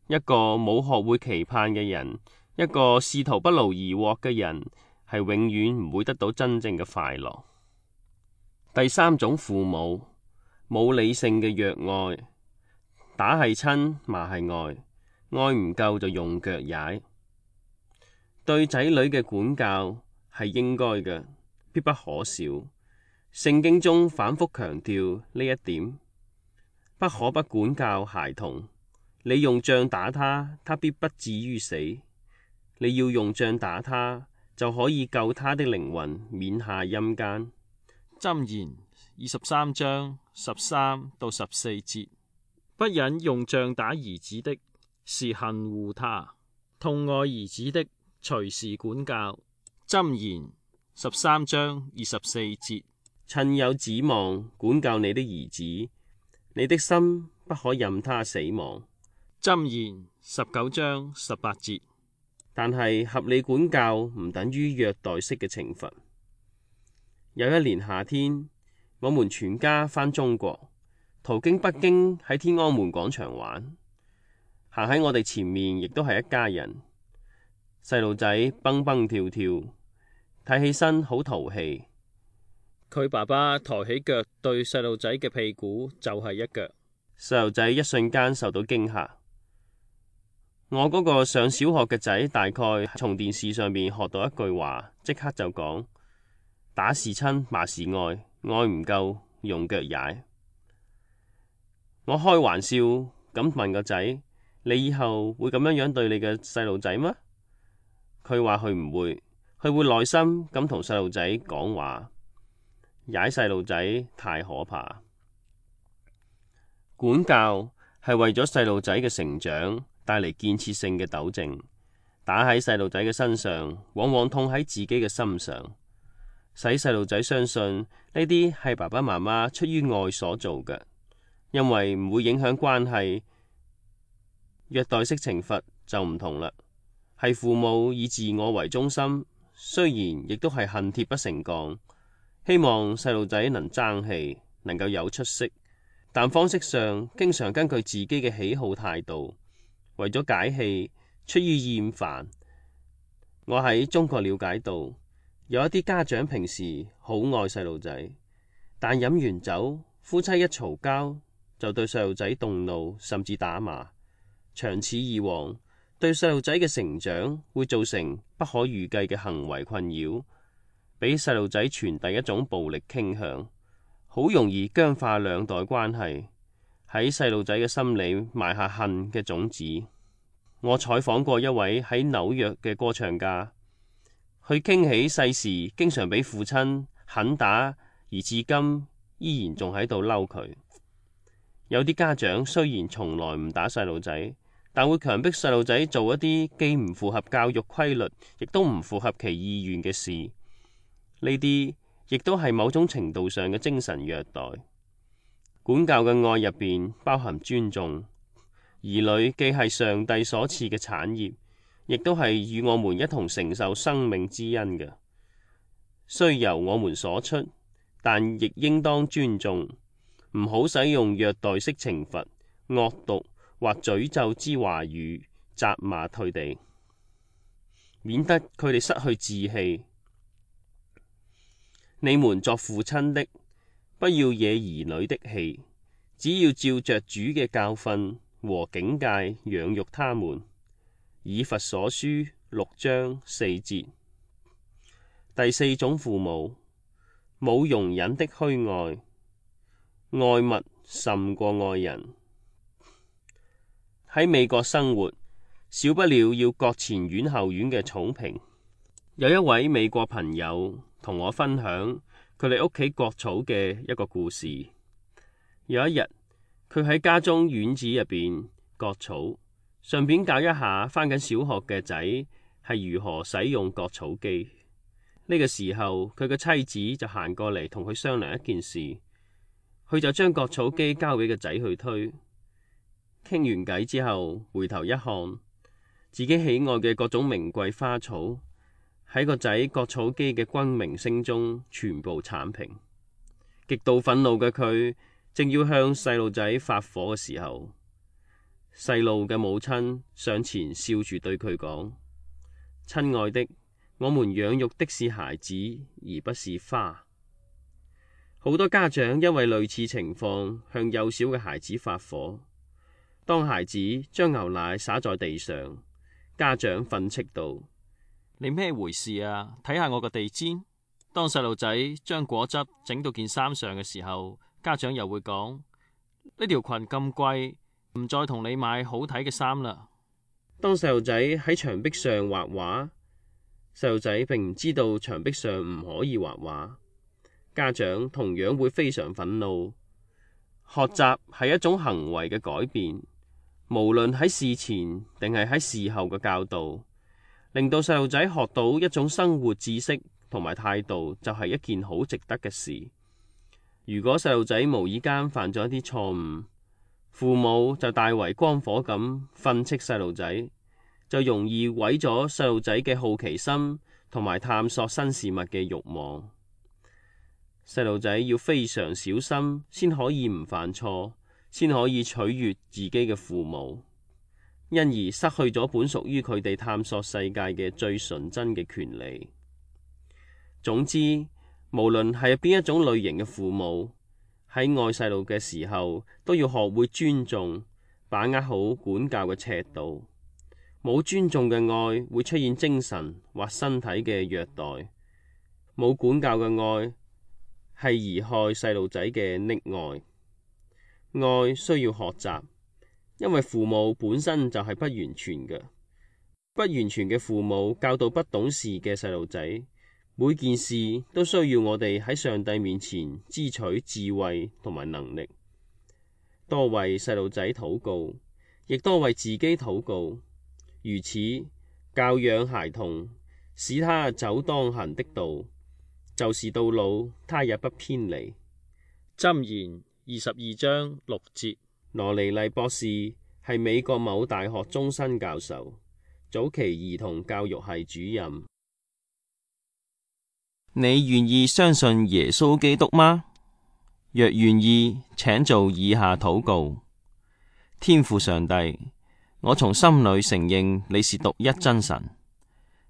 Speaker 2: 一個冇學會期盼嘅人，一個試圖不勞而獲嘅人，係永遠唔會得到真正嘅快樂。第三種父母冇理性嘅虐愛，打係親，罵係愛，愛唔夠就用腳踩。對仔女嘅管教係應該嘅，必不可少。聖經中反覆強調呢一點，不可不管教孩童。你用杖打他，他必不至於死；你要用杖打他，就可以救他的靈魂免下陰間。
Speaker 1: 箴言23章13到14節，不忍用杖打兒子的，是恨惡他；痛愛兒子的，隨時管教。箴言13章24節，
Speaker 2: 趁有指望管教你的兒子，你的心不可任他死亡。
Speaker 1: 箴言19章18節，
Speaker 2: 但係合理管教唔等於虐待式嘅懲罰。有一年夏天，我們全家返中國，途經北京喺天安門廣場玩，行喺我哋前面亦都係一家人，細路仔蹦蹦跳跳，睇起身好淘氣。
Speaker 1: 佢爸爸抬起腳對細路仔嘅屁股就係一腳，
Speaker 2: 細路仔一瞬間受到驚嚇。我嗰個上小學嘅仔大概從電視上面學到一句話，即刻就講：打是親，罵是愛，愛唔夠用腳踩。我開玩笑咁問個仔：你以後會咁樣對你嘅細路仔嗎？佢話佢唔會，佢會耐心咁同細路仔講話。踩細路仔太可怕。管教係為咗細路仔嘅成長帶嚟建設性嘅糾正，打喺細路仔嘅身上，往往痛喺自己嘅心上，使細路仔相信呢啲係爸爸媽媽出於愛所做嘅，因為唔會影響關係。虐待式懲罰就唔同啦，係父母以自我為中心，雖然亦都係恨鐵不成鋼，希望細路仔能爭氣，能夠有出息，但方式上經常根據自己嘅喜好態度，為咗解氣，出於厭煩。我喺中國了解到，有一啲家長平時好愛細路仔，但飲完酒，夫妻一嘈交，就對細路仔動怒，甚至打罵。長此以往，對細路仔嘅成長會造成不可預計嘅行為困擾，俾細路仔傳遞一種暴力傾向，好容易僵化兩代關係，喺細路仔嘅心裏埋下恨嘅種子。我採訪過一位喺紐約嘅歌唱家，佢傾起細時經常俾父親狠打，而至今依然仲喺度嬲佢。有啲家長雖然從來唔打細路仔，但會強迫細路仔做一啲既唔符合教育規律，亦都唔符合其意願嘅事。呢啲亦都係某種程度上嘅精神虐待。管教嘅愛入邊包含尊重，兒女既係上帝所賜嘅產業，亦都係與我們一同承受生命之恩嘅，雖由我們所出，但亦應當尊重，唔好使用虐待式懲罰、惡毒或詛咒之話語責罵佢哋，免得佢哋失去志氣。你們作父親的，不要惹兒女的氣，只要照着主嘅教訓和警戒養育他們。以弗所書6章4節。第四種父母，冇容忍的虛愛，愛物甚過愛人。喺美國生活，少不了要割前院後院嘅草坪。有一位美國朋友同我分享佢哋屋企割草嘅一個故事。有一日，佢喺家中院子入邊割草，順便教一下返緊小學嘅仔係如何使用割草機。呢個時候，佢嘅妻子就行過嚟同佢商量一件事，佢就將割草機交俾個仔去推。傾完偈之後，回頭一看，自己喜愛嘅各種名貴花草喺個仔割草機嘅轟鳴聲中全部鏟平。極度憤怒嘅佢正要向細路仔發火嘅時候，細路嘅母親上前笑住對佢講：親愛的，我們養育的是孩子，而不是花。好多家長因為類似情況向幼小嘅孩子發火。當孩子將牛奶灑在地上，家長訓斥道：
Speaker 1: 你咩回事啊？睇下我個地氈。當細路仔將果汁整到件衫上嘅時候，家長又會講：呢條裙咁貴，唔再同你買好睇嘅衫啦。
Speaker 2: 當細路仔喺牆壁上畫畫，細路仔並唔知道牆壁上唔可以畫畫，家長同樣會非常憤怒。學習係一種行為嘅改變。無論喺事前定係喺事後嘅教導，令到細路仔學到一種生活知識同埋態度，就係一件好值得嘅事。如果細路仔無意間犯咗一啲錯誤，父母就大為光火咁訓斥細路仔，就容易毀咗細路仔嘅好奇心同埋探索新事物嘅慾望。細路仔要非常小心，先可以唔犯錯，先可以取悅自己嘅父母，因而失去咗本屬於佢哋探索世界嘅最純真嘅權利。總之，無論係邊一種類型嘅父母，喺愛細路嘅時候，都要學會尊重，把握好管教嘅尺度。冇尊重嘅愛會出現精神或身體嘅虐待，冇管教嘅愛係貽害細路仔嘅溺愛。愛需要學習，因為父母本身就係不完全嘅。不完全嘅父母教導不懂事嘅細路仔，每件事都需要我哋喺上帝面前支取智慧同埋能力，多為細路仔禱告，亦多為自己禱告。如此教養孩童，使他走當行的道，就是到老他也不偏離。
Speaker 1: 箴言22章6節。
Speaker 2: 羅尼麗博士係美國某大學終身教授，早期兒童教育系主任。
Speaker 3: 你願意相信耶穌基督嗎？若願意，請做以下禱告：天父上帝，我從心裏承認你是獨一真神，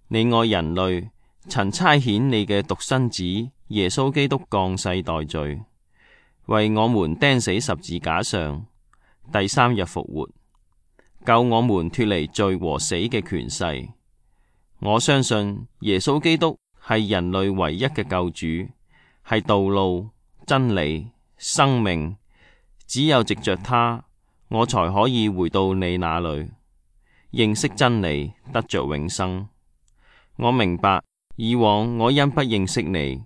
Speaker 3: 你愛人類，曾差遣你嘅獨生子耶穌基督降世代罪，為我們釘死十字架上，第3日復活，救我們脫離罪和死嘅權勢。我相信耶穌基督係人類唯一嘅救主，係道路、真理、生命。只有藉着他，我才可以回到你那裏，認識真理，得着永生。我明白以往我因不認識你，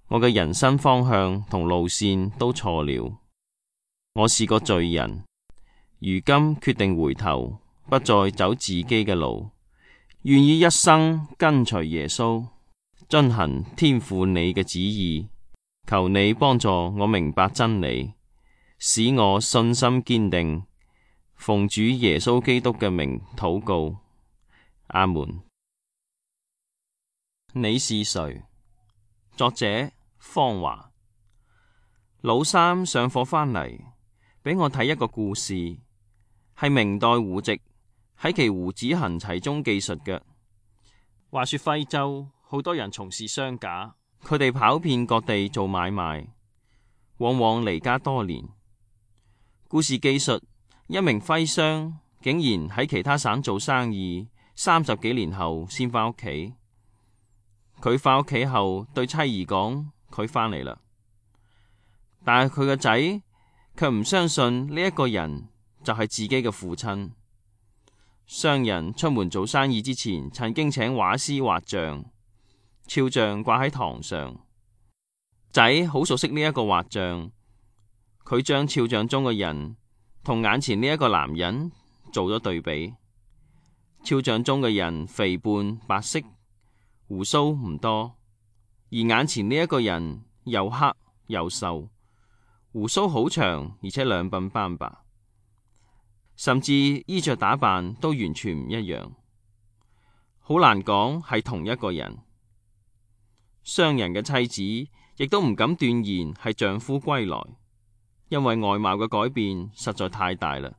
Speaker 3: 我嘅人生方向同路線都錯了。我是個罪人，如今決定回頭，不再走自己嘅路，願意一生跟隨耶穌，遵行天父你嘅旨意。求你幫助我明白真理，使我信心堅定。奉主耶穌基督嘅名禱告，阿門。你是誰？作者方華。老三上課返嚟，俾我睇一個故事，係明代胡直喺其胡子行齊中記述嘅。話說徽州好多人從事商賈，佢哋跑遍各地做買賣，往往離家多年。故事記述一名徽商竟然喺其他省做生意，30幾年後先返屋企。佢返屋企後對妻兒講：佢返嚟啦。但係佢個仔卻唔相信呢一個人就係自己嘅父親。商人出門做生意之前，曾經請畫師畫像，肖像掛喺堂上。仔好熟悉呢一個畫像，佢將肖像中嘅人同眼前呢一個男人做咗對比。肖像中嘅人肥胖白色，鬍鬚唔多，而眼前呢一個人又黑又瘦，鬍鬚好長，而且兩鬢斑白，甚至衣着打扮都完全唔一樣，好難講係同一個人。商人嘅妻子亦都唔敢斷言係丈夫歸來，因為外貌嘅改變實在太大啦。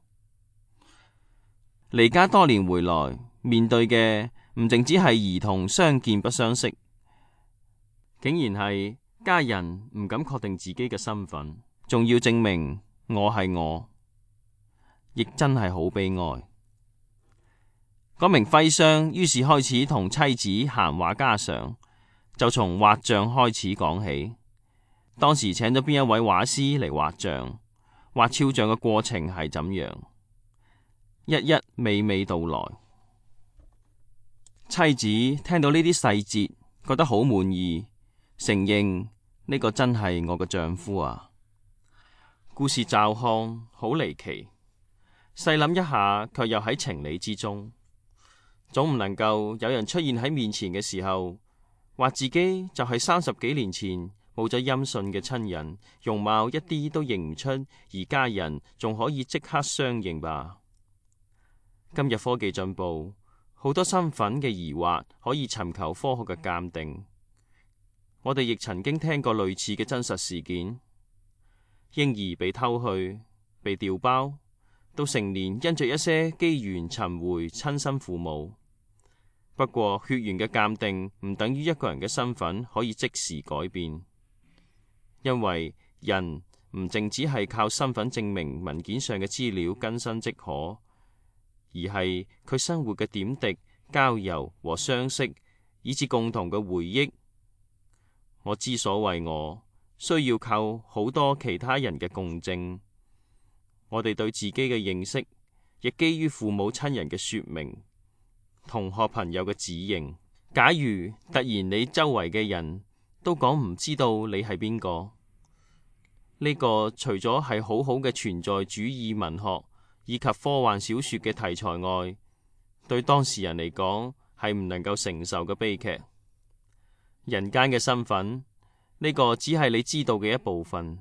Speaker 3: 離家多年回來，面對嘅唔淨止係兒童相見不相識，竟然係家人唔敢確定自己嘅身份，仲要證明我係我，亦真係好悲哀。嗰名徽商於是開始同妻子閒話家常，就從畫像開始講起。當時請咗邊一位畫師嚟畫像，畫肖像嘅過程係怎樣，一一娓娓道來。妻子聽到呢啲細節，覺得好滿意，承認呢個真係我嘅丈夫啊。故事驟看好離奇，細諗一下卻又喺情理之中。總唔能夠有人出現喺面前嘅時候，話自己就係30幾年前冇咗音訊嘅親人，容貌一啲都認唔出，而家人仲可以即刻相認吧？今日科技進步，好多身份嘅疑惑可以尋求科學嘅鑑定。我哋亦曾經聽過類似嘅真實事件：嬰兒被偷去、被調包，到成年因着一些機緣尋回親生父母。不過血緣嘅鑑定唔等於一個人嘅身份可以即時改變，因為人唔淨只係靠身份證明文件上嘅資料更新即可，而係佢生活嘅點滴、交遊和相識，以至共同嘅回憶。我之所為我，需要靠好多其他人嘅共證。我哋對自己嘅認識，亦基於父母親人嘅說明、同學朋友嘅指認。假如突然你周圍嘅人都講唔知道你係邊個，呢個除咗係好好嘅存在主義文學以及科幻小說嘅題材外，對當事人嚟講係唔能夠承受嘅悲劇。人間嘅身份，呢個只係你知道嘅一部分。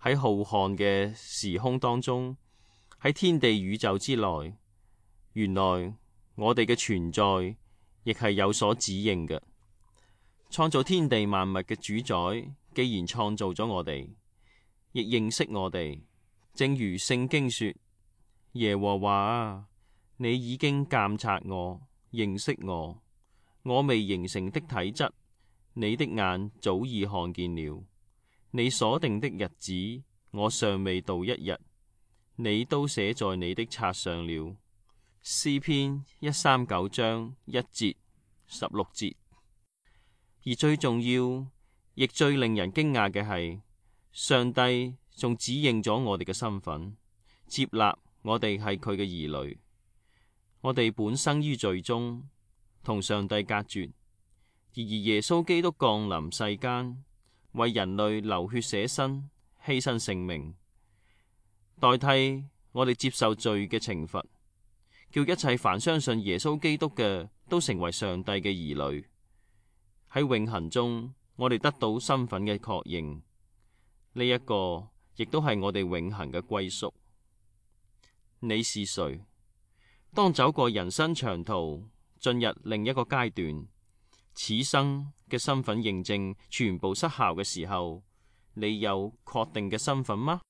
Speaker 3: 喺浩瀚嘅時空當中，喺天地宇宙之內，原來我哋嘅存在亦係有所指認嘅。創造天地萬物嘅主宰，既然創造咗我哋，亦認識我哋。正如聖經說：耶和華啊，你已經鑒察我，認識我，我未形成的體質，你的眼早已看見了。你所定的日子，我尚未到一日，你都寫在你的冊上了。詩篇139章1節16節。而最重要，亦最令人驚訝嘅係，上帝仲指認咗我哋嘅身份，接納我哋係佢嘅兒女。我哋本生於罪中，同上帝隔絕，而耶穌基督降臨世間，為人類流血捨身，犧牲性命，代替我哋接受罪嘅懲罰，叫一切凡相信耶穌基督嘅都成為上帝嘅兒女。喺永恆中，我哋得到身份嘅確認，呢一個亦都係我哋永恆嘅歸宿。你是誰？當走過人生長途，進入另一個階段，此生嘅身份認證全部失效嘅時候，你有確定嘅身份嗎？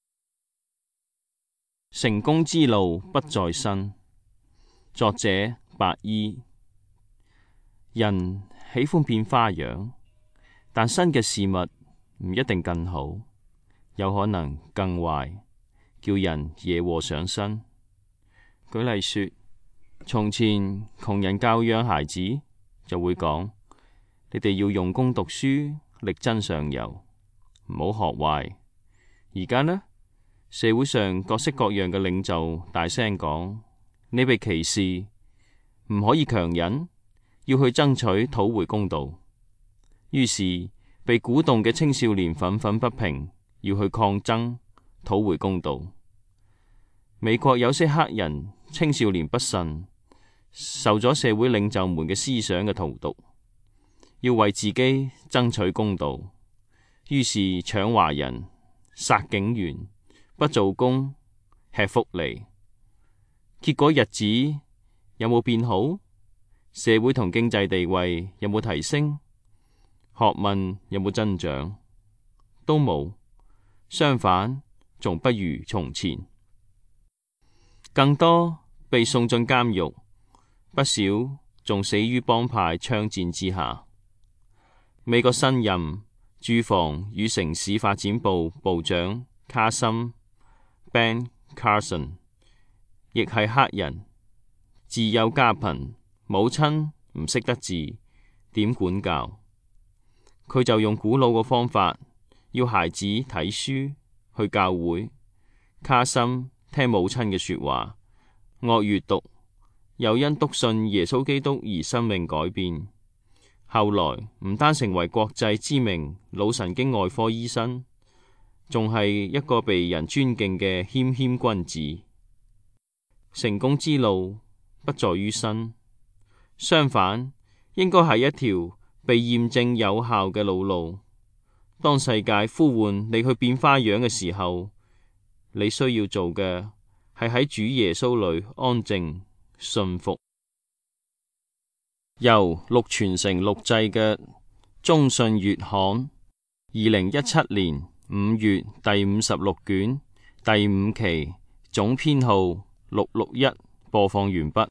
Speaker 1: 成功之路不在身。作者白衣。人喜歡變花樣，但新嘅事物唔一定更好，有可能更壞，叫人惹禍上身。舉例說，從前窮人教養孩子，就會講：你哋要用功讀書，力爭上游，唔好學壞。而家呢，社會上各式各樣嘅領袖大聲講：你被歧視，唔可以強忍，要去爭取討回公道。於是被鼓動嘅青少年憤憤不平，要去抗爭討回公道。美國有些黑人青少年不慎，受咗社會領袖們嘅思想嘅荼毒，要為自己爭取公道，於是搶華人、殺警員、不做工、吃福利。結果日子有冇變好？社會同經濟地位有冇提升？學問有冇增長？都冇，相反，仲不如從前。更多被送進監獄，不少仲死於幫派槍戰之下。美國新任住房與城市發展部部長卡森 Ben Carson 亦係黑人，自幼家貧，母親唔識得字，點管教？佢就用古老嘅方法，要孩子睇書，去教會。卡森聽母親嘅說話，惡閱讀，又因篤信耶穌基督而生命改變。後來唔單成為國際知名腦神經外科醫生，仲係一個被人尊敬嘅謙謙君子。成功之路不在於身，相反，應該係一條被驗證有效嘅老路。當世界呼喚你去變花樣嘅時候，你需要做嘅係喺主耶穌裏安靜信服。由綠傳承錄製嘅中信月刊2017年5月第56卷第5期總編號661播放完畢。